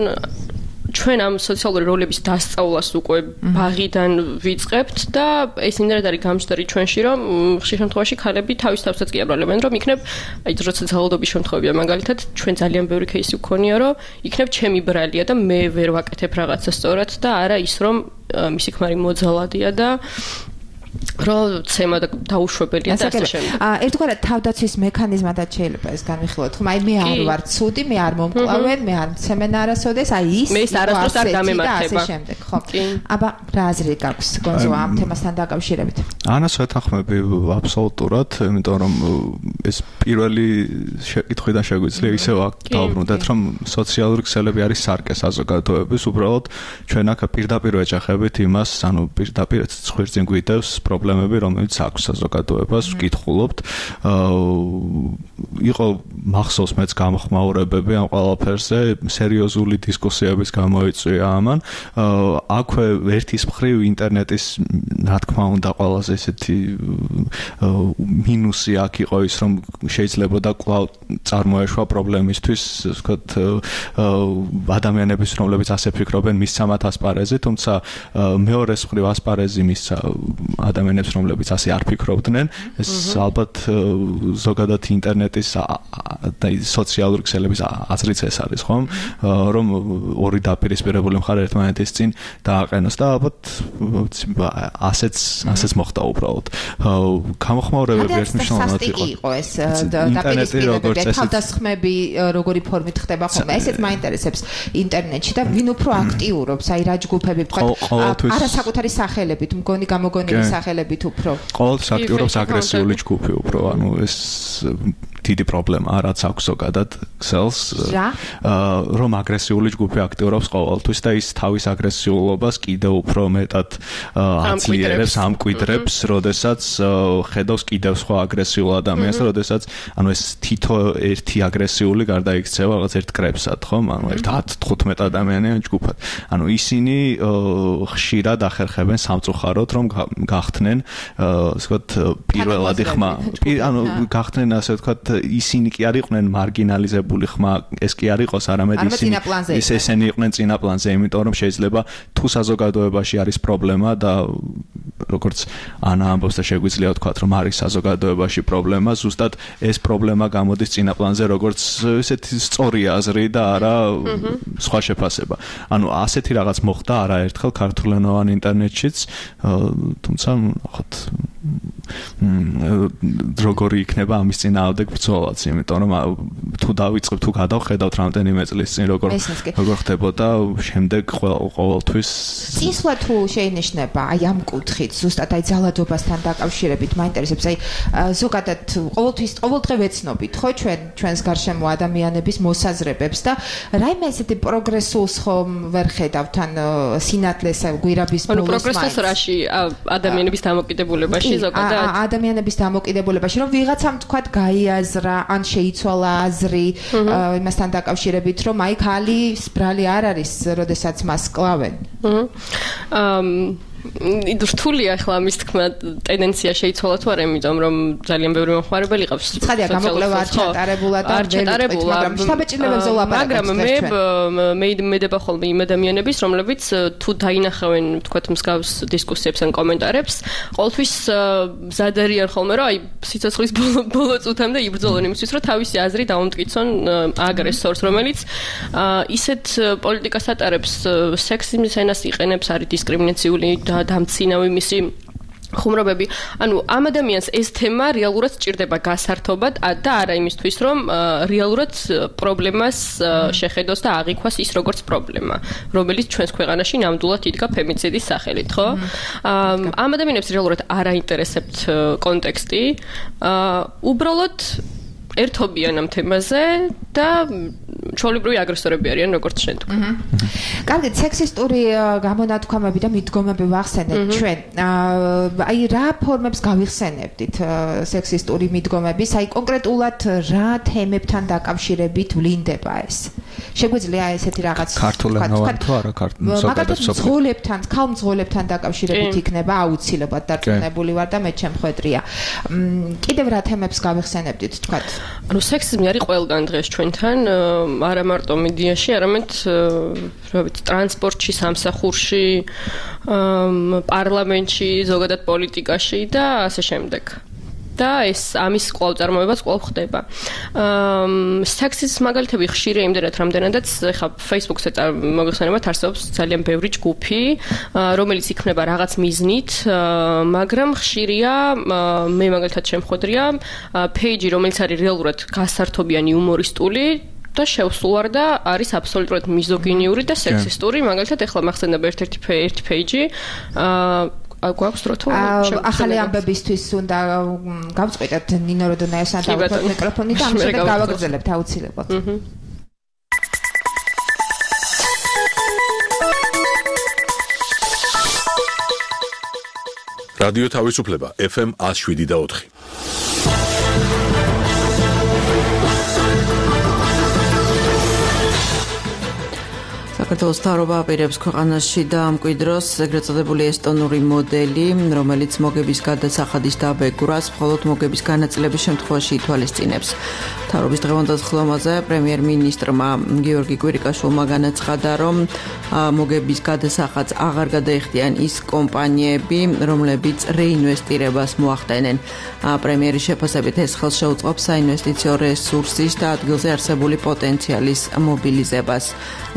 ჩვენ ამ სოციალური როლების დასწავლას უკვე ბაღიდან ვიწყებთ და ეს იმდენად არის გამჯდარი ჩვენში, რომ ხშირ შემთხვევაში ქალები თავის თავსაც კი აბრალებენ, რომ იქნებ, აი როცა ძალადობის შემთხვევებია მაგალითად, ჩვენ ძალიან ბევრი кейსი ვქონია, რომ იქნებ ჩემი ბრალია და მე ვერ ვაკეთებ რაღაცა სწორად და არა ის, რომ მისი ქმარი მოძალადია და რო ცემა და დაუშვებელია და ასე შემდეგ. აა ერთგვარად თავდაცვის მექანიზმადაც შეიძლება ეს განვიხილოთ. ხომ აი მე არ ვარ ცუდი, მე არ მომკლავენ, მე არ მცემენ არასოდეს, აი ის მე არასდროს არ გამემართება. ასე შემდეგ, ხო. აბა რა აზრი გაქვს გონზო ამ თემასთან დაკავშირებით? ანას ვეთანხმები აბსოლუტურად, იმიტომ რომ ეს პირველი შეკითხვიდან შეგვიძლია ისევ დავბრუნდეთ, რომ სოციალური ქსელები არის სარკე საზოგადოების, უბრალოდ ჩვენ აქ პირდაპირ ვეჯახებით იმას, ანუ პირდაპირ ხვირწინ გვიდევს პრობლემები, რომელიც აქვს საზოგადოებას, ვკითხულობთ. იყო მახსოვს მეც გამოხმაურებები ამ ყველაფერზე, სერიოზული დისკუსიების გამოიწვია ამან. აქვე ერთის მხრივ ინტერნეტის, რა თქმა უნდა, ყველაზე ესეთი მინუსი აქ იყო ის, რომ შეიძლება და კვლავ წარმოეშვა პრობლემისთვის, ვთქვათ, ადამიანების, რომლებიც ასე ფიქრობენ, მისცემათ ასპარეზი, თუმცა მეორეს მხრივ ასპარეზი მისცა ადამიანებს, რომლებიც ასე არ ფიქრობდნენ, ეს ალბათ ზოგადად ინტერნეტის და სოციალური ქსელების აზრიც ეს არის, ხომ? რომ ორი დაპირისპირებული მხარე ერთმანეთის წინ დააყენოს და ალბათ ასეც ასეც მოხდა უბრალოდ. გამოხმაურებები ერთმნიშვნელოვნად იყო. იყო ეს დაპირისპირებები, თავდასხმები როგორი ფორმით ხდება ხოლმე. ესეც მაინტერესებს ინტერნეტში და ვინ უფრო აქტიურობს, აი რა ჯგუფები ვთქვათ, არასაკუთარი სახელებით, მგონი გამოგონილი სახელებით უფრო. ყოველთვის აქტიურობს აგრესიული ჯგუფი უფრო, ანუ ეს დიდი პრობლემაა, რაც აქვს ზოგადად ქსელს, რომ აგრესიული ჯგუფი აქტიურობს ყოველთვის და ის თავის აგრესიულობას კიდევ უფრო მეტად ძლიერებს, ამკვიდრებს, როდესაც ხედავს კიდევ სხვა აგრესიულ ადამიანს, როდესაც ანუ ეს თითო ერთი აგრესიული გარდაიქცევა რაღაც ერთ კრებსად, ხომ? ანუ ერთ ათი თხუთმეტ ადამიანიან ჯგუფად. ანუ ისინი ხშირად ახერხებენ სამწუხაროდ, რომ გახდნენ, ასე ვთქვათ, პირველადი ხმა. ანუ გახდნენ, ასე ვთქვათ, ისინი კი არ იყვნენ მარგინალიზებული ხმა, ეს კი არ იყოს, არამედ ისინი ეს ესენი იყვნენ წინა პლანზე, იმიტომ რომ შეიძლება თუ საზოგადოებაში არის პრობლემა და როგორც ანა ამბობს და შეგვიძლია ვთქვათ, რომ არის საზოგადოებაში პრობლემა, ზუსტად ეს პრობლემა გამოდის წინა პლანზე, როგორც ესეთი სწორი აზრი და არა სხვა შეფასება. ანუ ასეთი რაღაც მოხდა არაერთხელ ქართულენოვან ინტერნეტშიც, თუმცა ნახოთ როგორი იქნება ამის წინააღმდეგ ბრძოლაც, იმიტომ რომ თუ დავიწყებ, თუ გადავხედავთ რამდენიმე წლის წინ როგორ როგორ ხდებოდა, შემდეგ ყოველთვის წინსვლა თუ შეინიშნება, აი ამ კუთხით, ზუსტად აი ძალადობასთან დაკავშირებით მაინტერესებს, აი ზოგადად ყოველთვის ყოველდღე ვეცნობით, ხო, ჩვენ ჩვენს გარშემო ადამიანების მოსაზრებებს და რაიმე ესეთი პროგრესულს ხომ ვერ ხედავთ, ან სინათლეს გვირაბის ბოლოს. ანუ პროგრესულს რაში ადამიანების დამოკიდებულებაში ზოგადად ადამიანების დამოკიდებულებაში, რომ ვიღაცამ თქვათ გაიაზრა, ან შეიცვალა აზრი იმასთან დაკავშირებით, რომ აი ქალი სბრალი არ არის, როდესაც მას კლავენ. აჰა. რთულია ახლა ამის თქმა ტენდენცია შეიცვალა თუ არა, იმიტომ რომ ძალიან ბევრი მომხმარებელი ყავს. ცხადია, გამოკლება არ ჩატარებულა და ვერ ვიტყვით, მაგრამ შთაბეჭდილებებზე ვლაპარაკობთ. მაგრამ მე მე მედება ხოლმე იმ ადამიანების, რომლებიც თუ დაინახავენ, ვთქვათ, მსგავს დისკუსიებს ან კომენტარებს, ყოველთვის მზად არიან ხოლმე, რომ აი სიცოცხლის ბოლო წუთამდე იბრძოლონ იმისთვის, რომ თავისი აზრი დაუმტკიცონ აგრესორს, რომელიც ისეთ პოლიტიკას ატარებს, სექსიზმის ენას იყენებს, არის დისკრიმინაციული და დამცინავი მისი ხუმრობები. ანუ ამ ადამიანს ეს თემა რეალურად სჭირდება გასართობად და არა იმისთვის, რომ რეალურად პრობლემას შეხედოს და აღიქვას ის როგორც პრობლემა, რომელიც ჩვენს ქვეყანაში ნამდვილად იდგა ფემიციდის სახელით, ხო? ამ ადამიანებს რეალურად არ აინტერესებთ კონტექსტი, უბრალოდ ერთობიან ამ თემაზე და ჩვეულებრივი აგრესორები არიან, როგორც შენ თქვი. კარგი, სექსისტური გამონათქვამები და მიდგომები ვახსენეთ ჩვენ. აი რა ფორმებს გავიხსენებდით სექსისტური მიდგომების? აი კონკრეტულად რა თემებთან დაკავშირებით ვლინდება ეს? შეგვიძლია ესეთი რაღაც ქართულენოვან თუ არა ზოგადად მძღოლებთან, ქალმძღოლებთან დაკავშირებით იქნება აუცილებლად დარწმუნებული ვარ და მე ჩემხვედრია. კიდევ რა თემებს გავიხსენებდით, თქვათ? ანუ სექსიზმი არის ყველგან დღეს ჩვენთან, არა მარტო მედიაში, არამედ რა ვიცი, ტრანსპორტში, სამსახურში, პარლამენტში, ზოგადად პოლიტიკაში და ასე შემდეგ. და ეს ამის კვლავ წარმოებაც კვლავ ხდება. აა სექსის მაგალითები ხშირია იმდენად, რამდენადაც ეხა Facebook-ზე მოგეხსენებათ არსებობს ძალიან ბევრი ჯგუფი, რომელიც იქნება რაღაც მიზნით, მაგრამ ხშირია მე მაგალითად შემხვედრია page-ი, რომელიც არის რეალურად გასართობიანი იუმორისტული და შევსულ და არის აბსოლუტურად მიზოგინიური და სექსისტური, მაგალითად ეხლა მახსენდება ერთ-ერთი ერთი page-ი, აა გვაქვს დრო თუ ახალი ამბებისთვის უნდა გავწყვეტოთ ნინო როდონაიასთან დავუშვათ მიკროფონი და ამის შემდეგ გავაგრძელებთ აუცილებლად. რადიო თავისუფლება F M one oh seven და four. საქართველოს მთავრობა აპირებს ქვეყანაში დაამკვიდროს ეგრეთ წოდებული ესტონური მოდელი, რომელიც მოგების გადასახადის დაბეგვრას მხოლოდ მოგების განაწილების შემთხვევაში ითვალისწინებს. მთავრობის დღევანდელ ხილვაზე პრემიერ-მინისტრმა გიორგი კვირიკაშვილმა განაცხადა, რომ მოგების გადასახადს აღარ გადაიხდიან ის კომპანიები, რომლებიც რეინვესტირებას მოახდენენ. პრემიერის შეფასებით ეს ხელს შეუწყობს საინვესტიციო რესურსის და ადგილზე არსებული პოტენციალის მობილიზებას.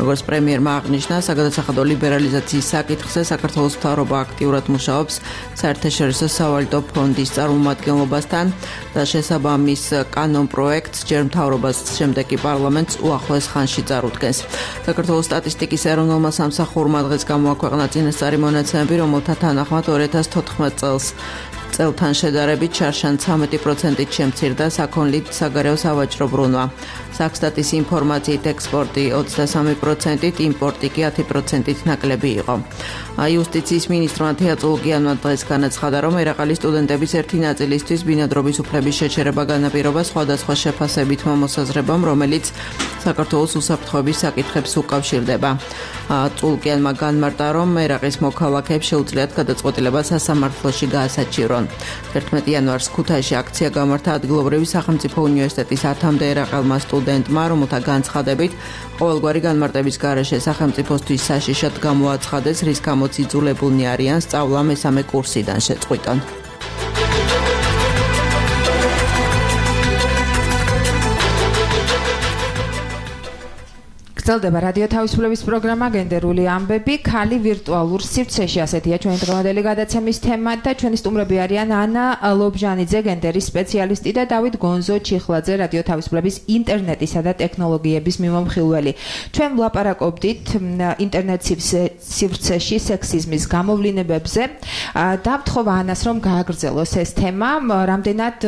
როგორც პრემიერმა აღნიშნა, საგადასახადო ლიბერალიზაციის საკითხზე საქართველოს მთავრობა აქტიურად მუშაობს საერთაშორისო სავალუტო ფონდის წარმომადგენლობასთან და შესაბამის კანონ პროექტს ჯერ მთავრობას, შემდეგ კი პარლამენტს უახლოეს ხანში წარუდგენს. საქართველოს სტატისტიკის ეროვნულმა სამსახურმა დღეს გამოაქვეყნა წინასწარი მონაცემები, რომელთა თანახმად ორი ათას თოთხმეტ წელს წელთან შედარებით შარშან ცხრამეტი პროცენტით შემცირდა საქონლით საგარეო სავაჭრო ბრუნვა. საქსტატის ინფორმაციით ექსპორტი ოცდასამი პროცენტით, იმპორტი კი ათი პროცენტით ნაკლები იყო. იუსტიციის მინისტრმა თეა წულგიანმა დღეს განაცხადა, რომ ერაყალის სტუდენტების ერთი ნაწილისთვის ბინადრობის უფლების შეჩერება განაპირობა სხვადასხვა შეფასებით მომოსაზრებამ, რომელიც საქართველოს უსაფრთხოების საკითხებს უკავშირდება. წულგიანმა განმარტა, რომ ერაყის მოქალაქეებს შეუძლიათ გადაწყვეტილება სასამართლოში გაასაჩივრონ. ერთმეტი იანვარს ქუთაისში აქცია გამართა ადგილობრივი სახელმწიფო უნივერსიტეტის ათამდე ერაყელმა სტუდენტმა, რომელთა განცხადებით ყოველგვარი განმარტების გარეშე სახელმწიფოსთვის საშიშად გამოაცხადეს, რის გამოც იძულებულნი არიან სწავლა მესამე კურსიდან შეწყვიტონ. გრძელდება რადიო თავისუფლების პროგრამა გენდერული ამბები, ქალი ვირტუალურ სივრცეში, ასეთია ჩვენი დღევანდელი გადაცემის თემა და ჩვენი სტუმრები არიან ანა ლობჟანიძე, გენდერის სპეციალისტი და დავით გონზო ჩიხლაძე, რადიო თავისუფლების ინტერნეტისა და ტექნოლოგიების მიმომხილველი. ჩვენ ვლაპარაკობდით ინტერნეტ სივრცეში სექსიზმის გამოვლინებებზე და ვთხოვა ანას, რომ გააგრძელოს ეს თემა, რამდენად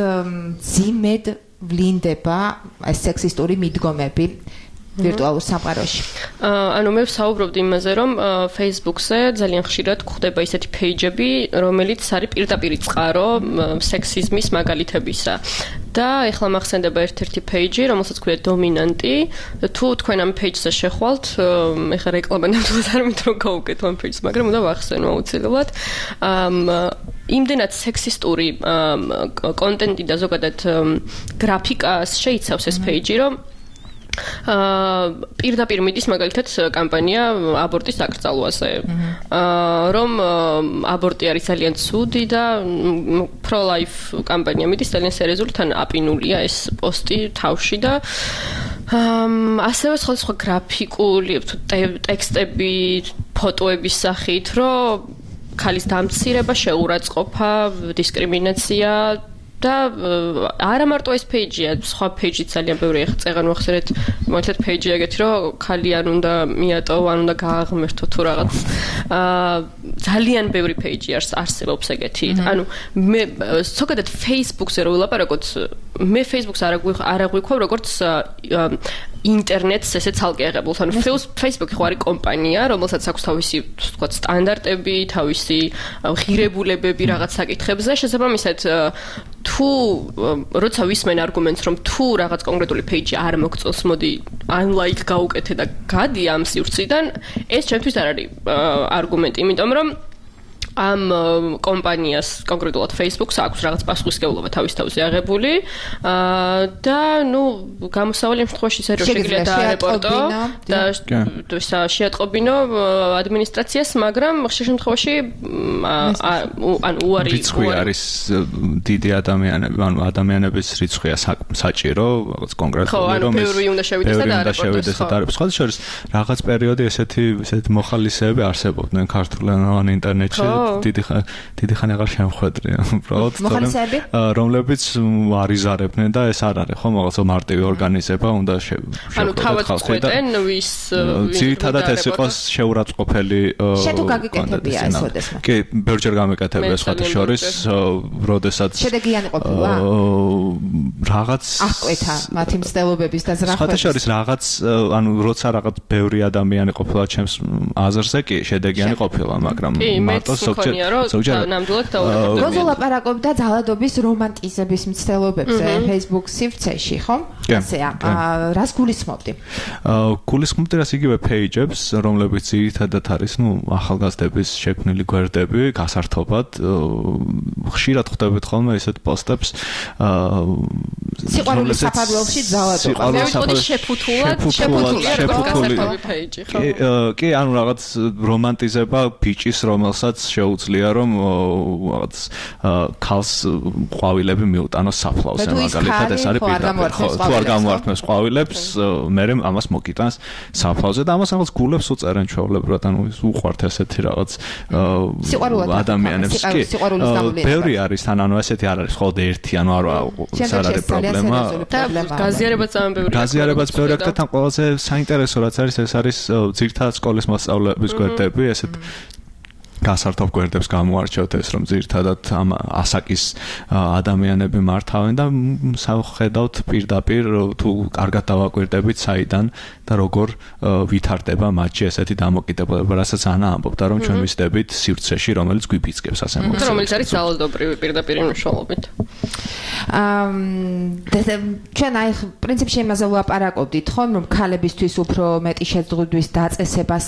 ძიმედ ვლინდება ეს სექსისტური მიდგომები ვირტუალურ სამყაროში. ანუ მე ვსაუბრობდი იმაზე, რომ Facebook-ზე ძალიან ხშირად გვხდება ისეთი page-ები, რომელიც არის პირდაპირ წყარო სექსიზმის მაგალითებისა. და ეხლა მახსენდება ერთ-ერთი page-ი, რომელსაც ქვია დომინანტი. თუ თქვენ ამ page-ზე შეხვალთ, ეხლა რეკლამა ნამდვილად არ მინდა რომ გავუკეთო ამ page-ს, მაგრამ უნდა ვახსენო აუცილებლად. იმდენად სექსისტური კონტენტი და ზოგადად გრაფიკას შეიცავს ეს page-ი, რომ აა პირდაპირ მიდის მაგალითად კამპანია აბორტის დაკრძალვაზე. აა რომ აბორტი არის ძალიან ცუდი და pro-life კამპანია მიდის ძალიან სერიოზული, თან აპინულია ეს პოსტი თავში და აა ასევე სხვადასხვა გრაფიკული ტექსტები, ფოტოების სახით, რომ ქალის დამცირება, შეურაცხყოფა, დისკრიმინაცია და არა მარტო ეს page-ია, სხვა page-იც ძალიან ბევრი ახლა წეგან ვახსენეთ, მაგალითად page-ი ეგეთი, რომ ქალი არ უნდა მიატოვო, არ უნდა გააღმერთო თუ რაღაც. აა ძალიან ბევრი page-ი არსებობს ეგეთი. ანუ მე ზოგადად Facebook-ზე რო ვილაპარაკოთ, მე Facebook-ს არ აღვიქვავ როგორც ინტერნეტს ესე ცალკე აღებულს. ანუ Facebook-ი ხო არის კომპანია, რომელსაც აქვს თავისი, თქვა, სტანდარტები, თავისი ღირებულებები რაღაც საკითხებზე, შესაბამისად თუ როცა ვისმენ არგუმენტს, რომ თუ რაღაც კონკრეტული page-ი არ მოგწონს, მოდი unlike გაუკეთე და გადი ამ სივრციდან, ეს ჩემთვის არ არის არგუმენტი, იმიტომ რომ ამ კომპანიას კონკრეტულად Facebook-ს აქვს რაღაც პასუხისმგებლობა თავის თავზე აღებული და ნუ გამოსავალი იმ შემთხვევაში ისე რომ შეგიძლია დაარეპორტო და შეატყობინო ადმინისტრაციას, მაგრამ ხშირ შემთხვევაში ანუ უარი რიცხვი არის დიდი ადამიანები, ანუ ადამიანების რიცხვია საჭირო, რაღაც კონკრეტული რომ ეს ბევრი უნდა შევიდეს და დაარეპორტოს. სხვა შორის რაღაც პერიოდი ესეთი ესეთი მოხალისეები არსებობდნენ ქართულენოვან ინტერნეტში. დიდი დიდი ხანი აღარ შემხვედრი უბრალოდ რომლებიც არიზარებდნენ და ეს არ არის ხო რაღაცა მარტივი ორგანიზება უნდა ანუ თავად ხვდენ ვის ძირითადად ეს იყოს შეურაცხყოფელი შე თუ გაგიკეთებია ეს ოდესმე კი ბევრჯერ გამეკეთებია სხვათა შორის როდესაც შედეგიანი ყოფილა რაღაც აღკვეთა მათი მცდელობების და ზრახვების სხვათა შორის რაღაც ანუ როცა რაღაც ბევრი ადამიანი ყოფილა ჩემს აზრზე კი შედეგიანი ყოფილა მაგრამ მარტო ზოგჯერ ნამდვილად დაურეკებდები. როზო ლაპარაკობდა ძალადობის რომანტიზების მცდელობებზე Facebook სივრცეში, ხო? ასეა. რას გულისხმობდი? გულისხმობდი რას იგივე page-ებს, რომლებიც ძირითადად არის, ну, ახალგაზრდების შექმნილი გვერდები, გასართობად. ხშირად ხვდებით ხოლმე ესეთ პოსტებს. სიყვარულის საფარველში ძალადობა. მე ვიტყოდი შეფუთულად, შეფუთული page, ხო? კი, ანუ რაღაც რომანტიზება ბიჭის, რომელსაც შეუძლია რომ რაღაც ქალს ყვავილები მიუტანოს საფლავზე მაგალითად ეს არის პირდაპირ თუ არ გამოართმევს ყვავილებს მე ამას მოგიტანს საფლავზე და ამას რაღაც გულებს უწერენ ჩვეულებრივად ანუ უყვართ ესეთი რაღაც ადამიანებს კი ბევრი არის თან ანუ ესეთი არ არის მხოლოდ ერთი ანუ არ არის პრობლემა გაზიარებაც ამ ბევრი გაზიარებაც ბევრი აქ და თან ყველაზე საინტერესო რაც არის ეს არის ძირითადად სკოლის მოსწავლეების გვერდები ესეთ გასართობ გვერდებს გამოარჩევთ ეს რომ ძირითადად ამ ასაკის ადამიანები მართავენ და სახედავთ პირდაპირ თუ კარგად დავაკვირდებით საიდან და როგორ ვითარდება მათში ესეთი დამოკიდებულება რასაც ანა ამბობდა რომ ჩვენ ვისდებით სივრცეში რომელიც გვიფიცკებს ასე მოგწევს რომელიც არის ძალადობრივი პირდაპირ მნიშვნელობით ამ ჩვენ აი პრინციპში იმაზე ვლაპარაკობდით ხო რომ ქალებისთვის უფრო მეტი შეძლების დაწესებას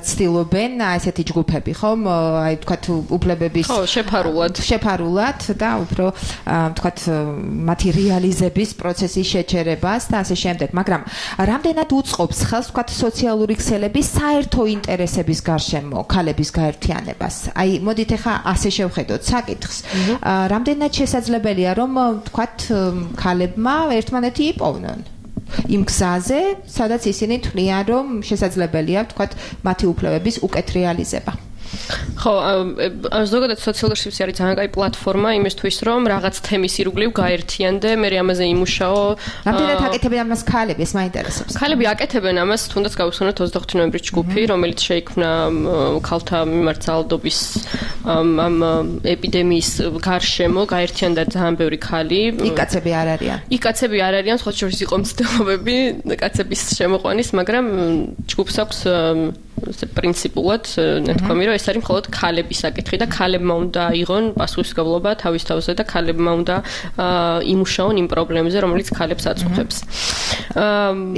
ცდილობენ ესეთი ჯგუფები ხო აი თქვათ უფლებების ხო შეფარულად შეფარულად და უფრო თქვათ მათი რეალიზების პროცესის შეჩერებას და ასე შემდეგ მაგრამ რამდენად უწყობს ხელს თქვათ სოციალური ქსელების საერთო ინტერესების გარშემო ქალების გაერთიანებას აი მოდით ახლა ასე შევხედოთ საკითხს რამდენად შესაძლებელია რომ თქვათ ქალებმა ერთმანეთი იპოვნონ იმ გზაზე სადაც ისინი თვლიან რომ შესაძლებელია თქვათ მათი უფლებების უკეთ რეალიზება ხო, ზოგადად სოციალური სივრცე არის ძალიან კაი პლატფორმა იმისთვის, რომ რაღაც თემის ირგვლივ გაერთიანდე, მე ამაზე იმუშაო. რამდენად აკეთებენ ამას ქალები, ეს მაინტერესებს. ქალები აკეთებენ ამას, თუნდაც გავუსვენოთ ოცდაოთხი ნოემბრის ჯგუფი, რომელიც შეიქმნა ქალთა მიმართ ძალადობის ამ ეპიდემიის გარშემო, გაერთიანდა ძალიან ბევრი ქალი. იქ კაცები არ არიან. იქ კაცები არ არიან, სხვა შორის იყო მცდელობები კაცების შემოყვანის, მაგრამ ჯგუფს აქვს პრინციპულად ნათქვამი რომ ეს არის მხოლოდ ქალების საკითხი და ქალებმა უნდა აიღონ პასუხისმგებლობა თავის თავზე და ქალებმა უნდა იმუშაონ იმ პრობლემებზე რომელიც ქალებს აწუხებს.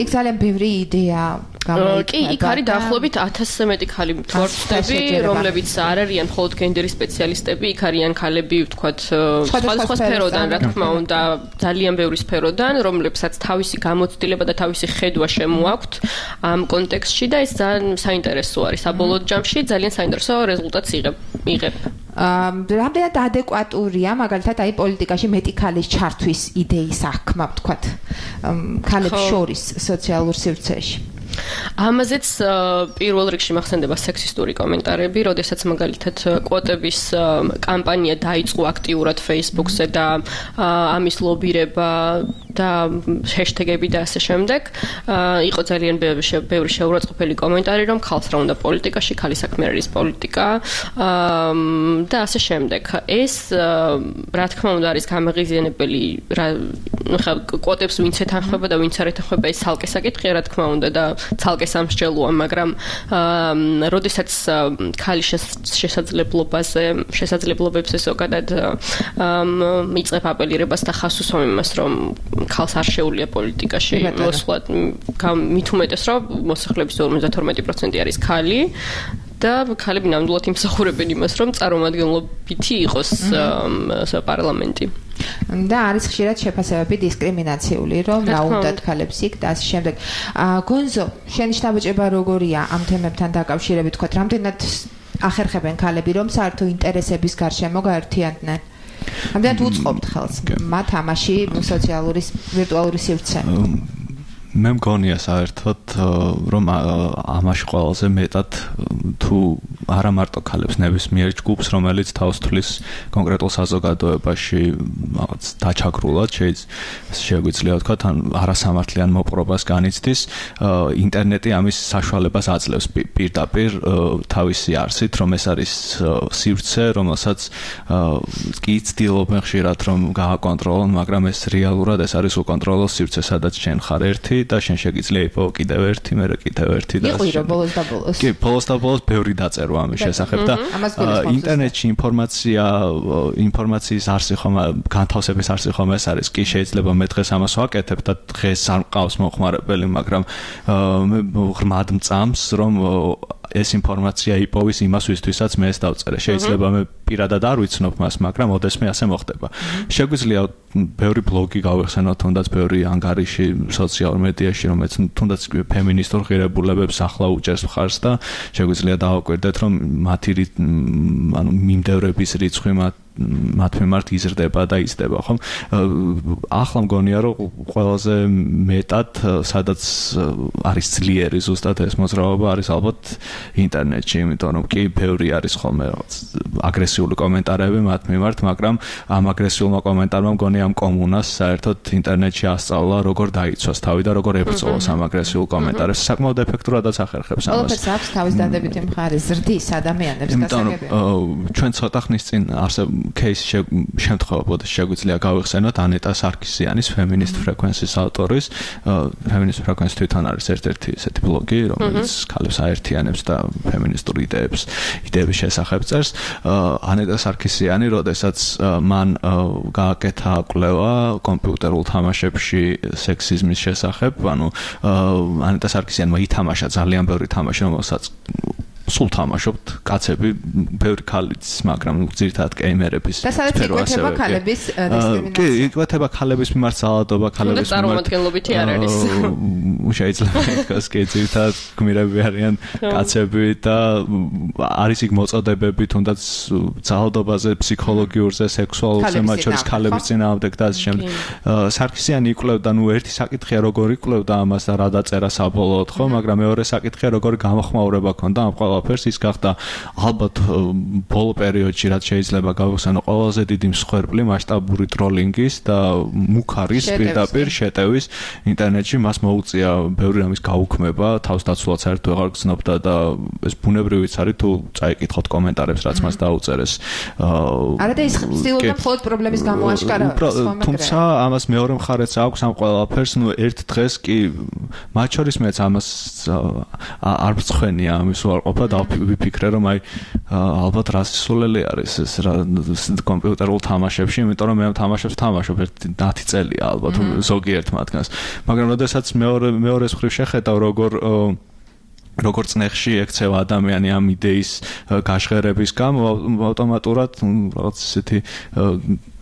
იქ ძალიან ბევრი იდეა გამოიკვეთა. კი, იქ არის დაახლოებით ათასზე მეტი ქალი თვორცები, რომლებიც არ არიან მხოლოდ გენდერის სპეციალისტები, იქ არიან ქალები, ვთქვათ, სხვადასხვა სფეროდან, რა თქმა უნდა, ძალიან ბევრი სფეროდან, რომლებსაც თავისი გამოცდილება და თავისი ხედვა შემოაქვთ ამ კონტექსტში და ეს ძალიან საინტერესო არის. საბოლოო ჯამში ძალიან საინტერესო რეზულტატს იღებ. რამდენად ადეკვატურია მაგალითად აი პოლიტიკაში მეტი ქალის ჩართვის იდეის აღქმა, ვთქვათ, ქალებს შორის სოციალურ სივრცეში. ამაზეც პირველ რიგში მახსენდება სექსისტური კომენტარები, როდესაც მაგალითად კვოტების კამპანია დაიწყო აქტიურად Facebook-ზე და ამის ლობირება და ჰეშტეგები და ასე შემდეგ. იყო ძალიან ბევრი შეურაცხყოფელი კომენტარი, რომ ხალხს რა უნდა პოლიტიკაში, ხალი საქმე არის პოლიტიკა და ასე შემდეგ. ეს რა თქმა უნდა არის გამაღიზიანებელი, ნუ ხა კვოტებს ვინც ეთანხმება და ვინც არ ეთანხმება, ეს ცალკე საკითხია, რა თქმა უნდა და ცალკე სამსჯელოა, მაგრამ როდესაც ხალი შესაძლებლობაზე, შესაძლებლობებზე ზოგადად მიწევ აპელირებას და ხას უსვამ იმას, რომ ხალხს არ შეუძლია პოლიტიკაში მოსვლა, მით უმეტეს, რომ მოსახლეობის ორმოცდათორმეტი პროცენტი არის ქალი და ქალები ნამდვილად იმსახურებენ იმას, რომ წარმომადგენლობითი იყოს პარლამენტი. და არის ხშირად შეფასებები დისკრიმინაციული, რომ რა უნდათ ქალებს იქ და ასე შემდეგ. გონზო, შენი შთაბეჭდება როგორია ამ თემებთან დაკავშირებით, თქვა, რამდენად ახერხებენ ქალები, რომ საერთო ინტერესების გარშემო გაერთიანდნენ? რამდენად უწყობთ ხელს მათ ამაში სოციალური ვირტუალური სივრცე? მე მგონია საერთოდ რომ ამაში ყველაზე მეტად თუ არა მარტო ქალებს ნებისმიერ ჯგუფს, რომელიც თავს თვლის კონკრეტულ საზოგადოებაში რაღაც დაჩაგრულად შეგვიძლია ვთქვა, ან არასამართლიან მოპყრობას განიცდის, ინტერნეტი ამის საშუალებას აძლევს პირდაპირ თავისი არსით, რომ ეს არის სივრცე, რომელსაც კი ცდილობენ ხშირად რომ გააკონტროლონ, მაგრამ ეს რეალურად ეს არის უკონტროლო სივრცე, სადაც შენ ხარ ერთი და შენ შეგიძლია იპოვო კიდევ ერთი, მერე კიდევ ერთი და იყო რომ ბოლოს და ბოლოს. კი, ბოლოს და ბოლოს ბევრი დაწერვა ამის შესახებ და ინტერნეტში ინფორმაცია, ინფორმაციის არსი ხომ განთავსების არსი ხომ ეს არის. კი, შეიძლება მე დღეს ამას ვაკეთებ და დღეს არ მყავს მოხმარებელი, მაგრამ მე ღრმად მწამს რომ ეს ინფორმაცია იპოვის იმას ვისთვისაც მე ეს დავწერე. შეიძლება მე პირადად არ ვიცნობ მას, მაგრამ ოდესმე ასე მოხდება. შეგვიძლია ბევრი ბლოგი გავეხსენოთ, თუნდაც ბევრი ანგარიში სოციალურ მედიაში, რომელიც თუნდაც ფემინისტურ ღირებულებებს ახლა უჭერს მხარს და შეგვიძლია დავაკვირდეთ, რომ მათი ანუ მიმდევრების რიცხვი მათ მათ მიმართ იზრდება და იზრდება, ხომ? ახლა მგონია, რომ ყველაზე მეტად სადაც არის ძლიერი ზუსტად ეს მოძრაობა არის ალბათ ინტერნეტში, იმიტომ რომ კი ბევრი არის ხოლმე აგრესიული კომენტარები მათ მიმართ, მაგრამ ამ აგრესიულმა კომენტარმა მგონია ამ კომუნას საერთოდ ინტერნეტში ასწავლა, როგორ დაიცვას თავი და როგორ ებრძოლოს ამ აგრესიულ კომენტარებს. საკმაოდ ეფექტურადაც ახერხებს ამას. ყველაფერს აქვს თავის დადებითი მხარე, ზრდის ადამიანებს გასაგებია. ჩვენ ცოტა ხნის წინ არსებ case შემთხვევა შეგვიძლია გავიხსენოთ ანეტა სარკისიანის feminist frequencies ავტორის feminist frequencies თვითონ არის ერთ-ერთი ესეთი ბლოგი, რომელიც ქალებს აერთიანებს და ფემინისტურ იდეებს იდეების შესახებ წერს. ანეტა სარკისიანი, როდესაც მან გააკეთა კვლევა კომპიუტერულ თამაშებში სექსიზმის შესახებ, ანუ ანეტა სარკისიანმა ითამაშა ძალიან ბევრი თამაში, რომელსაც სულ თამაშობთ კაცები, ბევრი ქალიც, მაგრამ ძირითადად გეიმერების სფერო ასევე. და სადაც იკვეთება ქალების დისკრიმინაცია. კი, იკვეთება ქალების მიმართ ძალადობა, ქალების მიმართ. წარმომადგენლობითი არ არის. შეიძლება ითქვას, კი, ძირითადად გმირები არიან კაცები და არის იქ მოწოდებები თუნდაც ძალადობაზე, ფსიქოლოგიურზე, სექსუალურზე, მათ შორის ქალების წინააღმდეგ და ასე შემდეგ. სარკისიანი იკვლევდა, ნუ ერთი საკითხია როგორ იკვლევდა ამას და რა დაწერა საბოლოოდ, ხო, მაგრამ მეორე საკითხია როგორ გამოხმაურება ქონდა ამ ყველაფერს. ის გახდა ალბათ ბოლო პერიოდში რაც შეიძლება გავხსენო ყველაზე დიდი მსხვერპლი მასშტაბური ტროლინგის და მუქარის პირდაპირ შეტევის ინტერნეტში. მას მოუწია ბევრი რამის გაუქმება, თავს დაცულად საერთოდ აღარ გრძნობდა და ეს ბუნებრივიც არის თუ წაიკითხოთ კომენტარებს რაც მას დაუწერეს. არა და ის ცდილობდა მხოლოდ პრობლემის გამოაშკარავებას. თუმცა ამას მეორე მხარეც აქვს ამ ყველაფერს, ნუ ერთ დღეს კი მათ შორის მეც ამას არ მწხვენია ამის უარყოფა და ვიფიქრე რომ აი ალბათ რასისულელი არის ეს კომპიუტერულ თამაშებში, იმიტომ რომ მე ამ თამაშებს ვთამაშობ ერთი ათი წელია ალბათ ზოგიერთ მათგანს. მაგრამ როდესაც მეორე მეორეს მხრივ შეხედავ როგორ როგორც ნეხში ექცევა ადამიანი ამ იდეის გაშღერების გამო, ავტომატურად რაღაც ესეთი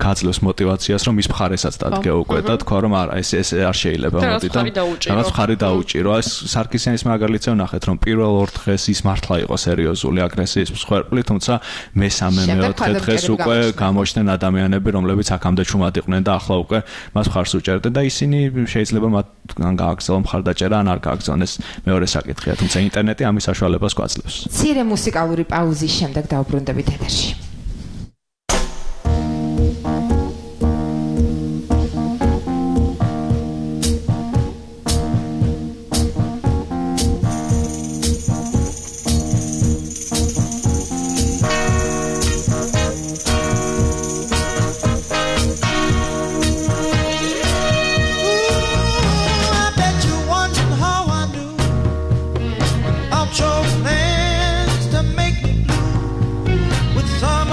გაძლევს мотиваციას, რომ ის მხარესაც დადგე უკვე და თქვა რომ არა, ეს ეს არ შეიძლება მოდი და რაღაც მხარი დაუჭირო. ეს სარკისიანის მაგალითზე ვნახეთ, რომ პირველ ორ დღეს ის მართლა იყო სერიოზული აგრესიის მსხვერპლი, თუმცა მესამე მეოთხე დღეს უკვე გამოჩნდნენ ადამიანები, რომლებიც აქამდე ჩუმად იყვნენ და ახლა უკვე მას მხარს უჭერდნენ და ისინი შეიძლება მათ ან გააგრძელონ მხარდაჭერა, ან არ გააგრძელონ. ეს მეორე საკითხია, თუმცა ინტერნეტი ამის საშუალებას გვაძლევს. მცირე მუსიკალური პაუზის შემდეგ დავბრუნდებით ეთერში. Your plans to make me blue with some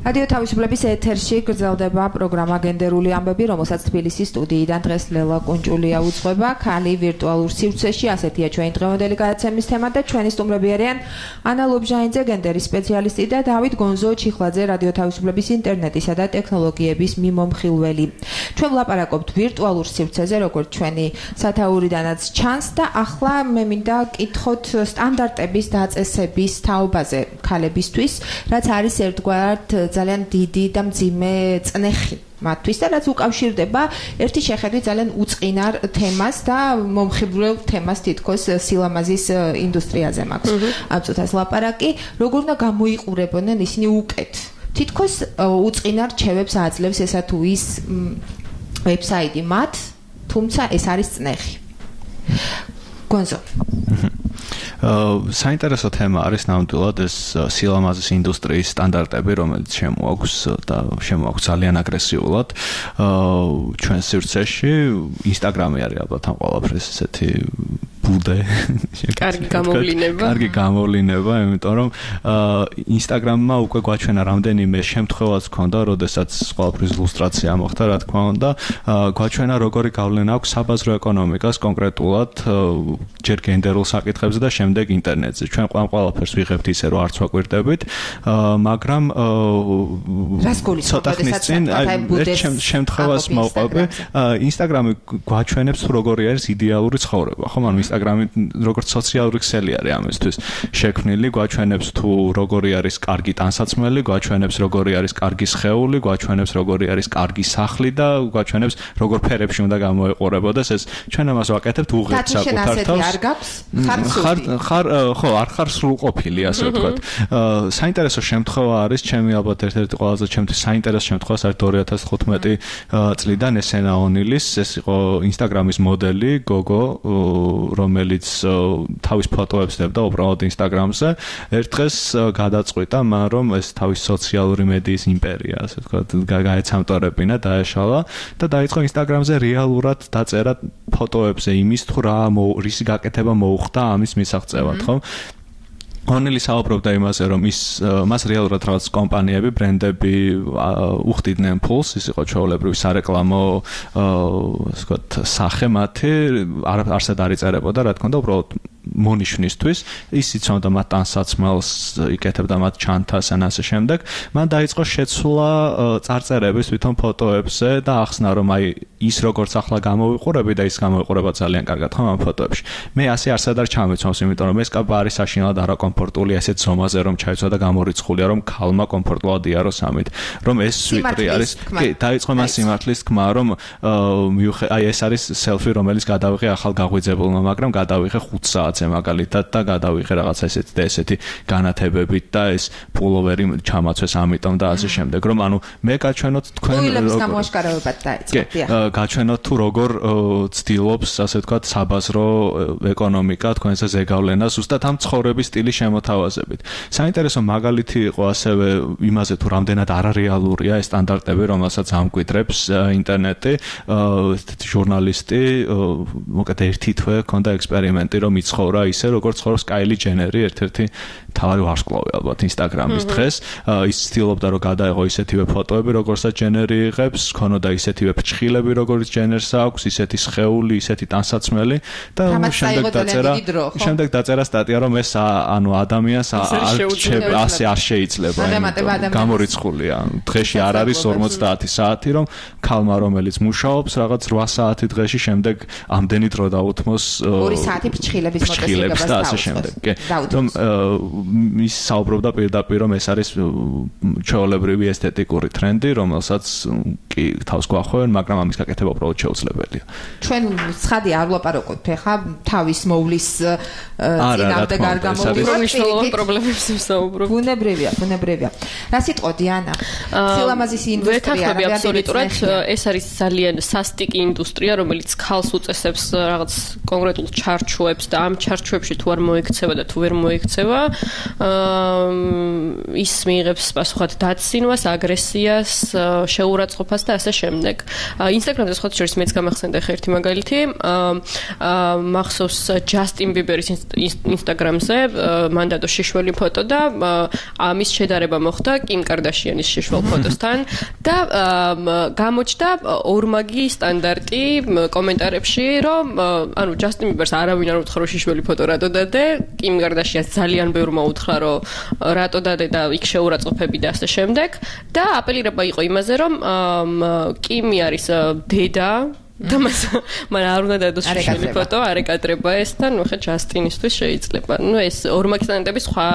რადიო თავისუფლების ეთერში გრძელდება პროგრამა გენდერული ამბები, რომელსაც თბილისის სტუდიიდან დღეს ლელა კუნჭულია უძღვება. ქალი ვირტუალურ სივრცეში, ასეთია ჩვენი დღევანდელი გადაცემის თემა და ჩვენი სტუმრები არიან ანა ლობჟაინძე, გენდერის სპეციალისტი და დავით გონზო ჩიხლაძე, რადიო თავისუფლების ინტერნეტისა და ტექნოლოგიების მიმომხილველი. ჩვენ ვლაპარაკობთ ვირტუალურ სივრცეზე, როგორც ჩვენი სათაურიდანაც ჩანს და ახლა მე მინდა კითხოთ სტანდარტების დაწესების თაობაზე ქალებისთვის, რაც არის ერთგვარად ძალიან დიდი და მძიმე წნეხი მათთვის და რაც უკავშირდება ერთი შეხედვით ძალიან უწყინარ თემას და მომხიბვლელ თემას თითქოს სილამაზის ინდუსტრიაზე მაქვს. ამ წუთას ლაპარაკი, როგორ უნდა გამოიყურებოდნენ ისინი უკეთ. თითქოს უწყინარ რჩევებს აძლევს ესა თუ ის ვებსაიტი მათ, თუმცა ეს არის წნეხი. გონზო საინტერესო თემა არის ნამდვილად ეს სილამაზის ინდუსტრიის სტანდარტები, რომელიც შემოაქვს და შემოაქვს ძალიან აგრესიულად ჩვენ სივრცეში. ინსტაგრამი არის ალბათ ამ ყველაფრის ესეთი ბუდე. კარგი გამოვლინება. კარგი გამოვლინება, იმიტომ რომ ინსტაგრამმა უკვე გვაჩვენა რამდენიმე შემთხვევაც ჰქონდა, როდესაც ყველაფრის ილუსტრაცია მოხდა, რა თქმა უნდა, გვაჩვენა როგორი გავლენა აქვს საბაზრო ეკონომიკას კონკრეტულად ჯერ გენდერულ საკითხებზე და შემდეგ ინტერნეტზე. ჩვენ ყველაფერს ვიღებთ ისე, რომ არც ვაკვირდებით, მაგრამ ცოტა ხნის წინ ერთ შემთხვევას მოვყვები, ინსტაგრამი გვაჩვენებს თუ როგორი არის იდეალური ცხოვრება, ხო? ანუ ინსტაგრამი როგორც სოციალური ქსელი არის ამისთვის შექმნილი, გვაჩვენებს თუ როგორი არის კარგი ტანსაცმელი, გვაჩვენებს როგორი არის კარგი სხეული, გვაჩვენებს როგორი არის კარგი სახლი და გვაჩვენებს როგორ ფერებში უნდა გამოეყურებოდეს ეს. ჩვენ ამას ვაკეთებთ უღებთ საკუთარ თავს. არ გაქვს? ხარ ხარ ხო, არ ხარ სრულყოფილი, ასე ვთქვათ. საინტერესო შემთხვევა არის, ჩემი ალბათ ერთ-ერთი ყველაზე ჩემთვის საინტერესო შემთხვევა არის ორი ათას თხუთმეტი წლიდან ესენა ონილის, ეს იყო ინსტაგრამის მოდელი გოგო, რომელიც თავის ფოტოებს დებდა უბრალოდ ინსტაგრამზე. ერთ დღეს გადაწყვიტა მან, რომ ეს თავის სოციალური მედიის იმპერია, ასე ვთქვათ, გაეცამტორებინა, დაეშალა და დაიწყო ინსტაგრამზე რეალურად დაწერა ფოტოებზე იმის თუ რა რისი გაკეთება მოუხდა ამის მისაღწევად, ხო? ონილი საუბრობდა იმაზე, რომ ის მას რეალურად რაღაც კომპანიები, ბრენდები უხდიდნენ ფულს, ის იყო ჩვეულებრივი სარეკლამო, ასე ვთქვათ, სახე მათი, არსად არ იწერებოდა, რა თქმა უნდა, უბრალოდ მონიშნისთვის, ის იცნობდა მათ ტანსაცმელს, იკეთებდა მათ ჩანთას ან ასე შემდეგ. მან დაიწყო შეცვლა წარწერების თვითონ ფოტოებზე და ახსნა, რომ აი ის როგორც ახლა გამოვიყურები და ის გამოვიყურება ძალიან კარგად ხომ ამ ფოტოებში. მე ასე არსად არ ჩამეცვამს, იმიტომ რომ ეს კაბა არის საშინელად არაკომფორტული, ასეთ ზომაზე რომ ჩაიცვა და გამორიცხულია, რომ ქალმა კომფორტულად იაროს ამით, რომ ეს სვიტრი არის. კი, დაიწყო მას სიმართლის თქმა, რომ აი ეს არის სელფი, რომელიც გადავიღე ახალ გაღვიძებულმა, მაგრამ გადავიღე ხუთ საათზე მაგალითად და გადავიღე რაღაცა ესეთი და ესეთი განათებებით და ეს პულოვერი ჩამაცვეს ამიტომ და ასე შემდეგ, რომ ანუ მე გაჩვენოთ თქვენ პულოვერის გამოაშკარავებად დაიწყო. გაჩვენოთ თუ როგორ ცდილობს, ასე ვთქვათ, საბაზრო ეკონომიკა თქვენზე ზეგავლენას ზუსტად ამ ცხოვრების სტილის შემოთავაზებით. საინტერესო მაგალითი იყო ასევე იმაზე თუ რამდენად არარეალურია ეს სტანდარტები, რომელსაც ამკვიდრებს ინტერნეტი. ესეთი ჟურნალისტი, მოკეთ ერთი თვე ჰქონდა ექსპერიმენტი, რომ იცხოვრა ისე, როგორც ცხოვრობს კაილი ჯენერი, ერთ-ერთი თავი ვარსკვლავი ალბათ ინსტაგრამის დღეს. ის ცდილობდა, რომ გადაეღო ისეთივე ფოტოები, როგორცაც ჯენერი იღებს, ქონოდა ისეთივე ფრჩხილები, როგორც ჯენერს აქვს, ისეთი სხეული, ისეთი ტანსაცმელი და შემდეგ დაწერა, შემდეგ დაწერა სტატია, რომ ეს ანუ ადამიანს ასე არ შეიძლება, გამორიცხულია. დღეში არ არის ორმოცდაათი საათი, რომ ქალმა, რომელიც მუშაობს, რაღაც რვა საათი დღეში, შემდეგ ამდენი დრო დაუთმოს ორი საათი ფრჩხილების მოტესილებას და ასე შემდეგ. რომ ის საუბრობდა პირდაპირ, რომ ეს არის ჩვეულებრივი ესთეტიკური ტრენდი, რომელსაც კი თავს გვახვევენ, მაგრამ ამის გაკეთება უბრალოდ შეუძლებელია. ჩვენ ცხადი არ ვლაპარაკობთ ხა თავის მოვლის წინამდე არ გამოვიდა მნიშვნელოვან პრობლემებს ვსაუბრობ. ბუნებრივია, ბუნებრივია. რა სიტყვოდი ანა? სილამაზის ინდუსტრია რა აბსოლუტურად ეს არის ძალიან სასტიკი ინდუსტრია, რომელიც ქალს უწესებს რაღაც კონკრეტულ ჩარჩოებს და ამ ჩარჩოებში თუ არ მოიქცევა და თუ ვერ მოიქცევა, ის მიიღებს პასუხად დაცინვას, აგრესიას, შეურაცხყოფას და ასე შემდეგ. ინსტაგრამზე სხვა შორის მეც გამახსენდა ხა ერთი მაგალითი. მახსოვს ჯასტინ ბიბერის ინსტაგრამზე მან დადო შიშველი ფოტო და ამის შედარება მოხდა კიმ კარდაშიანის შიშველ ფოტოსთან და გამოჩნდა ორმაგი სტანდარტი კომენტარებში, რომ ანუ ჯასტინ ბიბერს არავინ არ უთხრა შიშველი ფოტო რატო დადე, კიმ კარდაშიანს ძალიან ბევრმა უთხრა რომ რატო დადე და იქ შეურაცხყოფები და ასე შემდეგ და აპელირება იყო იმაზე, რომ კიმი არის დედა და მას მან არ უნდა დადოს შიშველი ფოტო, არ ეკადრება ეს და ნუ ხა ჯასტინისთვის შეიძლება. ნუ ეს ორმაგი სტანდარტები სხვა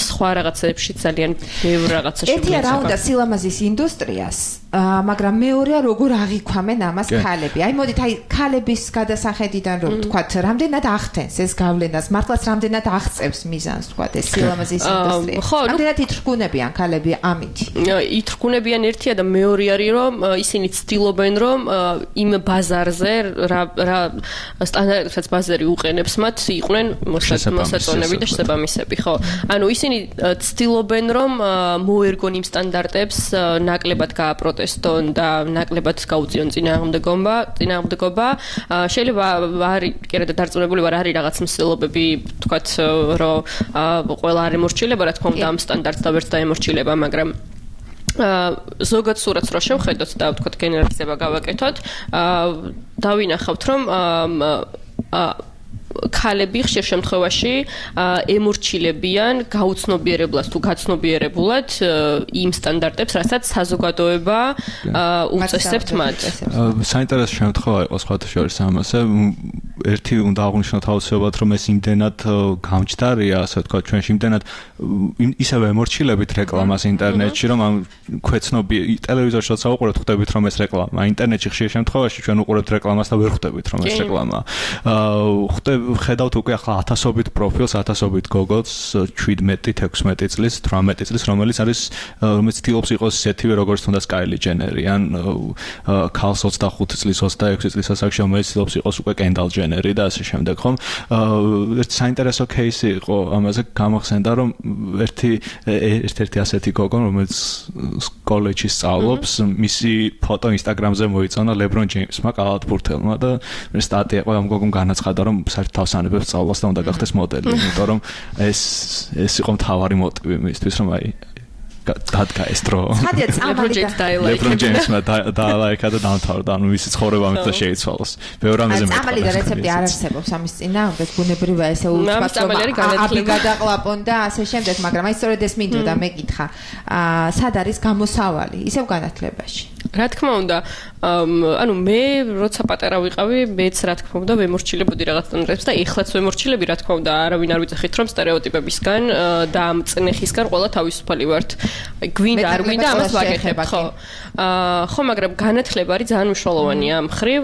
სხვა რაღაცებში ძალიან ბევრ რაღაცაში. ერთია რა უნდა სილამაზის ინდუსტრიას, მაგრამ მეორეა როგორ აღიქვამენ ამას ქალები. აი მოდით აი ქალების გადასახედიდან რომ ვთქვათ, რამდენად ახდენს ეს გავლენას, მართლაც რამდენად აღწევს მიზანს ვთქვათ ეს სილამაზის ინდუსტრია. რამდენად ითრგუნებიან ქალები ამით? ითრგუნებიან ერთია და მეორე არის რომ ისინი ცდილობენ რომ იმ ბაზარზე რა რა სტანდარტებსაც ბაზარი უყენებს მათ იყვნენ მოსაწონები და შესაბამისები, ხო? ანუ ისინი ცდილობენ რომ მოერგონ იმ სტანდარტებს ნაკლებად გააპროტესტონ და ნაკლებად გაუწიონ წინააღმდეგობა, წინააღმდეგობა. შეიძლება არის კიდე დარწმუნებული ვარ არის რაღაც მსვლელობები, თქვათ რომ ყველა არ ემორჩილება, რა თქმა უნდა ამ სტანდარტს და ვერც დაემორჩილება, მაგრამ ზოგად სურათს რო შევხედოთ და ვთქვათ გენერალიზება გავაკეთოთ, დავინახავთ რომ ქალები ხშირ შემთხვევაში ემორჩილებიან გაუცნობიერებლად თუ გაცნობიერებულად იმ სტანდარტებს, რასაც საზოგადოება უწესებთ მათ. საინტერესო შემთხვევა იყო სხვათა შორის ამასე. ერთი უნდა აღვნიშნოთ აუცილებლად, რომ ეს იმდენად გამჯდარია, ასე ვთქვათ, ჩვენში იმდენად ისევ ემორჩილებით რეკლამას ინტერნეტში, რომ ამ ქვეცნობი ტელევიზორში როცა უყურებთ, ხვდებით რომ ეს რეკლამა. ინტერნეტში ხშირ შემთხვევაში ჩვენ უყურებთ რეკლამას და ვერ ხვდებით რომ ეს რეკლამაა. ხვდებით ხედავთ უკვე ახლა ათასობით პროფილს, ათასობით გოგოს, შვიდმეტი, თექვსმეტი წლის, თვრამეტი წლის, რომელიც არის რომელიც ცდილობს იყოს ისეთივე როგორც თუნდაც კაილი ჯენერი, ან ქალს ოცდახუთი წლის, ოცდაექვსი წლის ასაკში, რომელიც ცდილობს იყოს უკვე კენდალ ჯენერი და ასე შემდეგ, ხომ? ერთი საინტერესო кейსი იყო ამაზე გამახსენდა, რომ ერთი ერთ-ერთი ასეთი გოგო, რომელიც კოლეჯში სწავლობს, მისი ფოტო ინსტაგრამზე მოიწონა ლებრონ ჯეიმსმა, კალათბურთელმა და სტატია იყო ამ გოგომ განაცხადა, რომ საერთოდ თავსანებებს სწავლას და უნდა გახდეს მოდელი, იმიტომ რომ ეს ეს იყო მთავარი მოტივი მისთვის, რომ აი დადგა ეს დრო. ლებრონ ჯეიმსმა დაალაიქა და დამთავრდა, ანუ მისი ცხოვრება ამით შეიცვალოს. ბევრ რამეზე მეტყვა. ამალი და რეცეპტი არ არსებობს ამის წინააღმდეგ, ბუნებრივია ესე უცბად აბი გადაყლაპონ და ასე შემდეგ, მაგრამ აი სწორედ ეს მინდოდა მეკითხა. აა სად არის გამოსავალი ისევ განათლებაში? რა თქმა უნდა, ანუ მე როცა პატარა ვიყავი, მეც რა თქმა უნდა ვემორჩილებოდი რაღაც სტანდარტებს და ეხლაც ვემორჩილები, რა თქმა უნდა, არავინ არ ვიძახით რომ სტერეოტიპებისგან და ამ წნეხისგან ყველა თავისუფალი ვართ. გვინდა არ გვინდა ამას ვაკეთებ, ხო? აა ხო, მაგრამ განათლება არის ძალიან მნიშვნელოვანი ამ ხრივ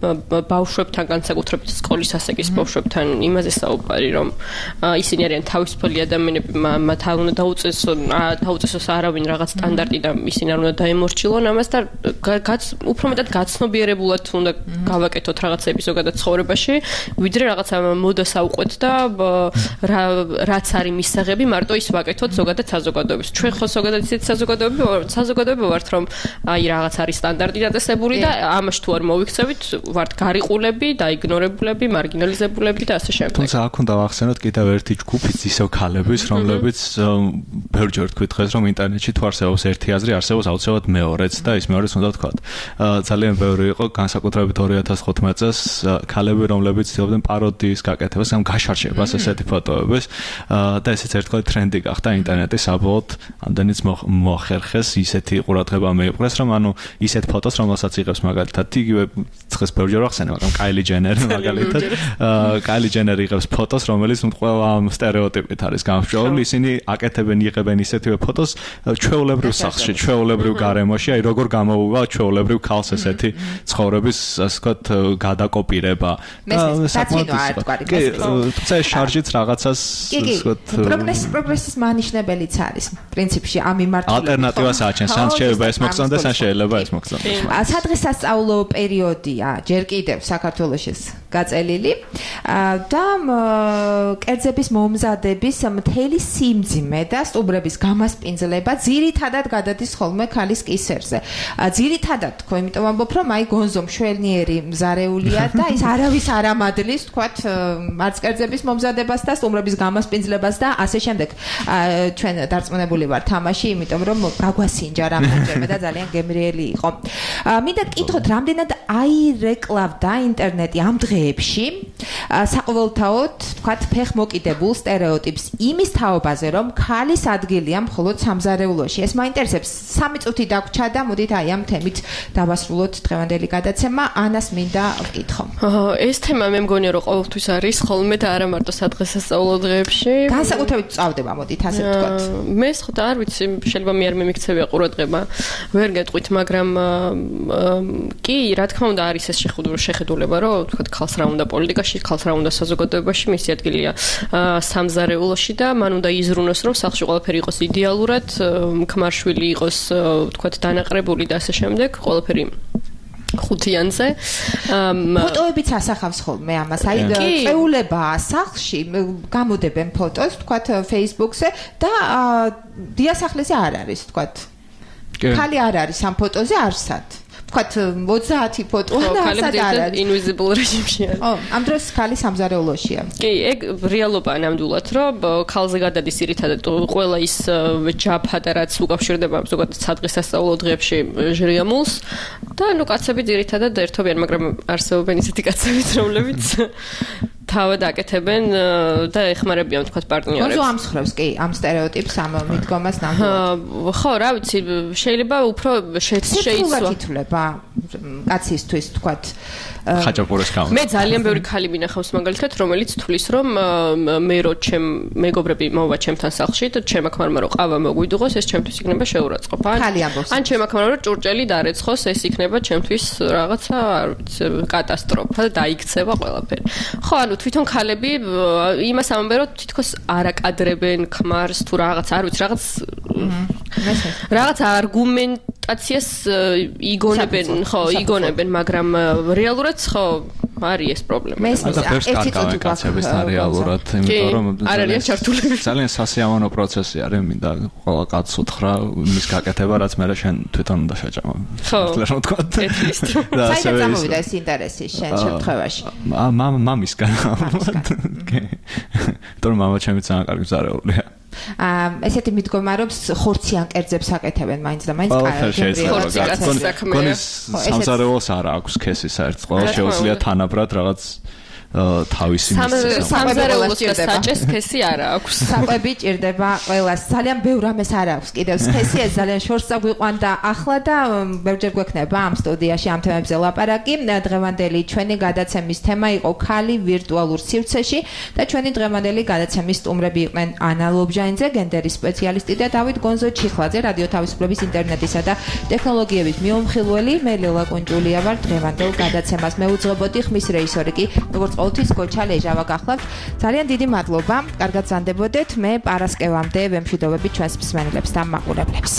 ბავშვებთან, განსაკუთრებით სკოლის ასაკის ბავშვებთან იმაზე საუბარი, რომ ისინი არიან თავისუფალი ადამიანები, მათ არ უნდა დაუწესონ, დაუწესოს არავინ რაღაც სტანდარტი და ისინი არ უნდა დაემორჩილონ ამას და უფრო მეტად გაცნობიერებულად უნდა გავაკეთოთ რაღაცები ზოგადად ცხოვრებაში, ვიდრე რაღაცა მოდას ავყვეთ და რაც არის მისაღები, მარტო ის ვაკეთოთ ზოგადად საზოგადოების. ჩვენ ხო ზოგადად ისეთ საზოგადოები საზოგადოება ვართ, რომ აი რაღაც არის სტანდარტი დაწესებული და ამაში თუ არ მოვიქცევით, ვართ გარიყულები, დაიგნორებულები, მარგინალიზებულები და ასე შემდეგ. თუმცა აქ უნდა ვახსენოთ კიდევ ერთი ჯგუფიც ისევ ქალების, რომლებიც ბევრჯერ თქვით დღეს, რომ ინტერნეტში თუ არსებობს ერთი აზრი, არსებობს აუცილებლად მეორეც და ის მეორეც უნდა ვთქვათ. ძალიან ბევრი იყო განსაკუთრებით ორი ათას თხუთმეტ წელს ქალები, რომლებიც ცდილობდნენ პაროდიის გაკეთებას, ამ გაშარშებას ესეთი ფოტოების და ესეც ერთხელ ტრენდი გახდა ინტერნეტის საბოლოოდ ამდენიც მოახერხეს ისეთი ყურადღება მეუღრეს, რომ ანუ ისეთ ფოტოს, რომელსაც იღებს მაგალითად იგივე დღეს ბევრჯერ ვახსენე, მაგრამ კაილი ჯენერი მაგალითად კაილი ჯენერი იღებს ფოტოს, რომელიც ყველა ამ სტერეოტიპით არის გამსჭვალული, ისინი აკეთებენ იღებენ ისეთივე ფოტოს ჩვეულებრივ სახლში, ჩვეულებრივ გარემოში, აი როგორ გამოუვა ჩვეულებრივ ქალს ესეთი ცხოვრების, ასე ვთქვათ, გადაკოპირება. კი, თუმცა ეს შარჟიც რაღაცას, ასე ვთქვათ, პროგრესი პროგრესის მანიშნებელიც არის პრინციპში ამ მიმართულებით. ალტერნატივას აჩენს, ან შეიძლება ეს მოგწონდეს, ან შეიძლება ეს მოგწონდეს. სადღესასწაულო პერიოდია ჯერ კიდევ საქართველოში გაწელილი და კერძების მომზადების მთელი სიმძიმე და სტუმრების გამასპინძლება ძირითადად გადადის ხოლმე ქალის კისერზე. ძირითადად თქო, იმიტომ ამბობ, რომ აი გონზო მშვენიერი მზარეულია და ის არავის არ ამადლის, თქვათ, არც კერძების მომზადებას და სტუმრების გამასპინძლებას და ასე შემდეგ. ჩვენ დარწმუნებული ვარ თამაში, იმიტომ რომ გაგვასინჯა რამდენჯერმე და ძალიან გემრიელი იყო. მინდა გკითხოთ, რამდენად აირეკლავდა ინტერნეტი ამ დღეებში საყოველთაოდ, თქვათ, ფეხმოკიდებულ სტერეოტიპს იმის თაობაზე, რომ ქალის ადგილია მხოლოდ სამზარეულოში. ეს მაინტერესებს. სამი წუთი დაგვრჩა და მოდით აი ამ თემით დავასრულოთ დღევანდელი გადაცემა. ანას მინდა ვკითხო. ეს თემა მე მგონია რომ ყოველთვის არის ხოლმე და არა მარტო სადღესასწაულო დღეებში. განსაკუთრებით წავდება, მოდით ასე ვთქვათ. მე სხვა არ ვიცი, შეიძლება მე არ მემიქცევია ყურადღება. ვერ გეტყვით, მაგრამ კი, რა თქმა უნდა არის ეს შეხედულება, რომ ვთქვათ, ქალს რა უნდა პოლიტიკაში, ქალს რა უნდა საზოგადოებაში, მისი ადგილია სამზარეულოში და მან უნდა იზრუნოს, რომ სახლში ყველაფერი იყოს იდეალურად, ქმარშვილი იყოს, ვთქვათ, დანაყრებული და ასე შემდეგ, ყველაფერი ხუთიანზე. ფოტოებიც ასახავს ხოლმე ამას. აი წეულებაა სახლში, გამოდებენ ფოტოს, ვთქვათ, Facebook-ზე და დიასახლეზე არ არის, ვთქვათ. ქალი არ არის ამ ფოტოზე არსად. ვთქვათ, ოცდაათი ფოტო არსად არ არის. invisible რეჟიმშია. ო, ამ დროს ქალი სამზარეულოშია. კი, ეგ რეალობაა ნამდვილად, რომ ქალზე გადადის ძირითადად ყველა ის ჯაფა და რაც უკავშირდება ზოგადად სადღესასწაულო დღეებში ჟრიამულს და ნუ კაცები ძირითადად ერთობიან, მაგრამ არსებობენ ისეთი კაცებიც, რომლებიც თავად აკეთებენ და ეხმარებიან თქვათ პარტნიორებს. გონზო ამსხრევს კი ამ სტერეოტიპს ამ მიდგომას ნამდვილად. ხო, რა ვიცი, შეიძლება უფრო შეიცვა. ითვლება კაცისთვის თქვათ ხაჭაპურეს გამო. მე ძალიან ბევრი ქალი მინახავს მაგალითად, რომელიც თulis რომ მე რო ჩემ მეგობრები მოვა ჩემთან სახლში და ჩემ აკმარმა რო ყავა მოგვიდუღოს, ეს ჩემთვის იქნება შეურაცხყოფა. ან ჩემ აკმარმა რო ჭურჭელი დარეცხოს, ეს იქნება ჩემთვის რაღაცა, არ ვიცი, კატასტროფა და დაიქცევა ყველაფერი. ხო, ანუ თვითონ ქალები იმას ამბობენ, რომ თითქოს არ აკადრებენ ქმარს თუ რაღაც, არ ვიცი, რაღაც რაღაც არგუმენტაციას იგონებენ, ხო, იგონებენ, მაგრამ რეალურად ხო არის ეს პრობლემა. და ფერს კარგავენ კაცებისთან რეალურად, იმიტომ რომ არ არის ჩართულები. ძალიან სასიამოვნო პროცესი არის, მინდა ყველა კაცს უთხრა მის გაკეთება, რაც მე შენ თვითონ უნდა შეჭამა. ხო, რა თქვა. საერთოდ წამოვიდა ეს ინტერესი შენ შემთხვევაში. მამისგან. კი. თორემ მამა ჩემი ძალიან კარგი მზარეულია. აა ესეთი მიდგომა რომ ხორციან კერძებს აკეთებენ მაინც და მაინც კაცებს. სამზარეულოს არ აქვს ქესი საერთოდ. ყველა შეუძლია თანაბრად რაღაც თავისი სამზარეულოს და საჭეს ქესი არ აქვს. საკვები ჭირდება ყველას. ძალიან ბევრ ამას არ აქვს კიდევ ქესი, ეს ძალიან შორს წაგვიყვან და ახლა და ბევრჯერ გვექნება ამ სტუდიაში ამ თემებზე ლაპარაკი. დღევანდელი ჩვენი გადაცემის თემა იყო ქალი ვირტუალურ სივრცეში და ჩვენი დღევანდელი გადაცემის სტუმრები იყვნენ ანა ლობჟანიძე, გენდერის სპეციალისტი და დავით გონზო ჩიხლაძე, რადიო თავისუფლების ინტერნეტისა და ტექნოლოგიების მიუმხილველი. მე ლელა კუნჭულია ვარ. დღევანდელ გადაცემას მეუძღვებოდი, ხმის რეჟისორი კი როგორც ყოველთვის გოჩა ლეჟავა გახლავთ. ძალიან დიდი მადლობა. კარგად ზანდებოდეთ. მე პარასკევამდე ვემშვიდობები ჩვენს მსმენელებს და მაყურებლებს.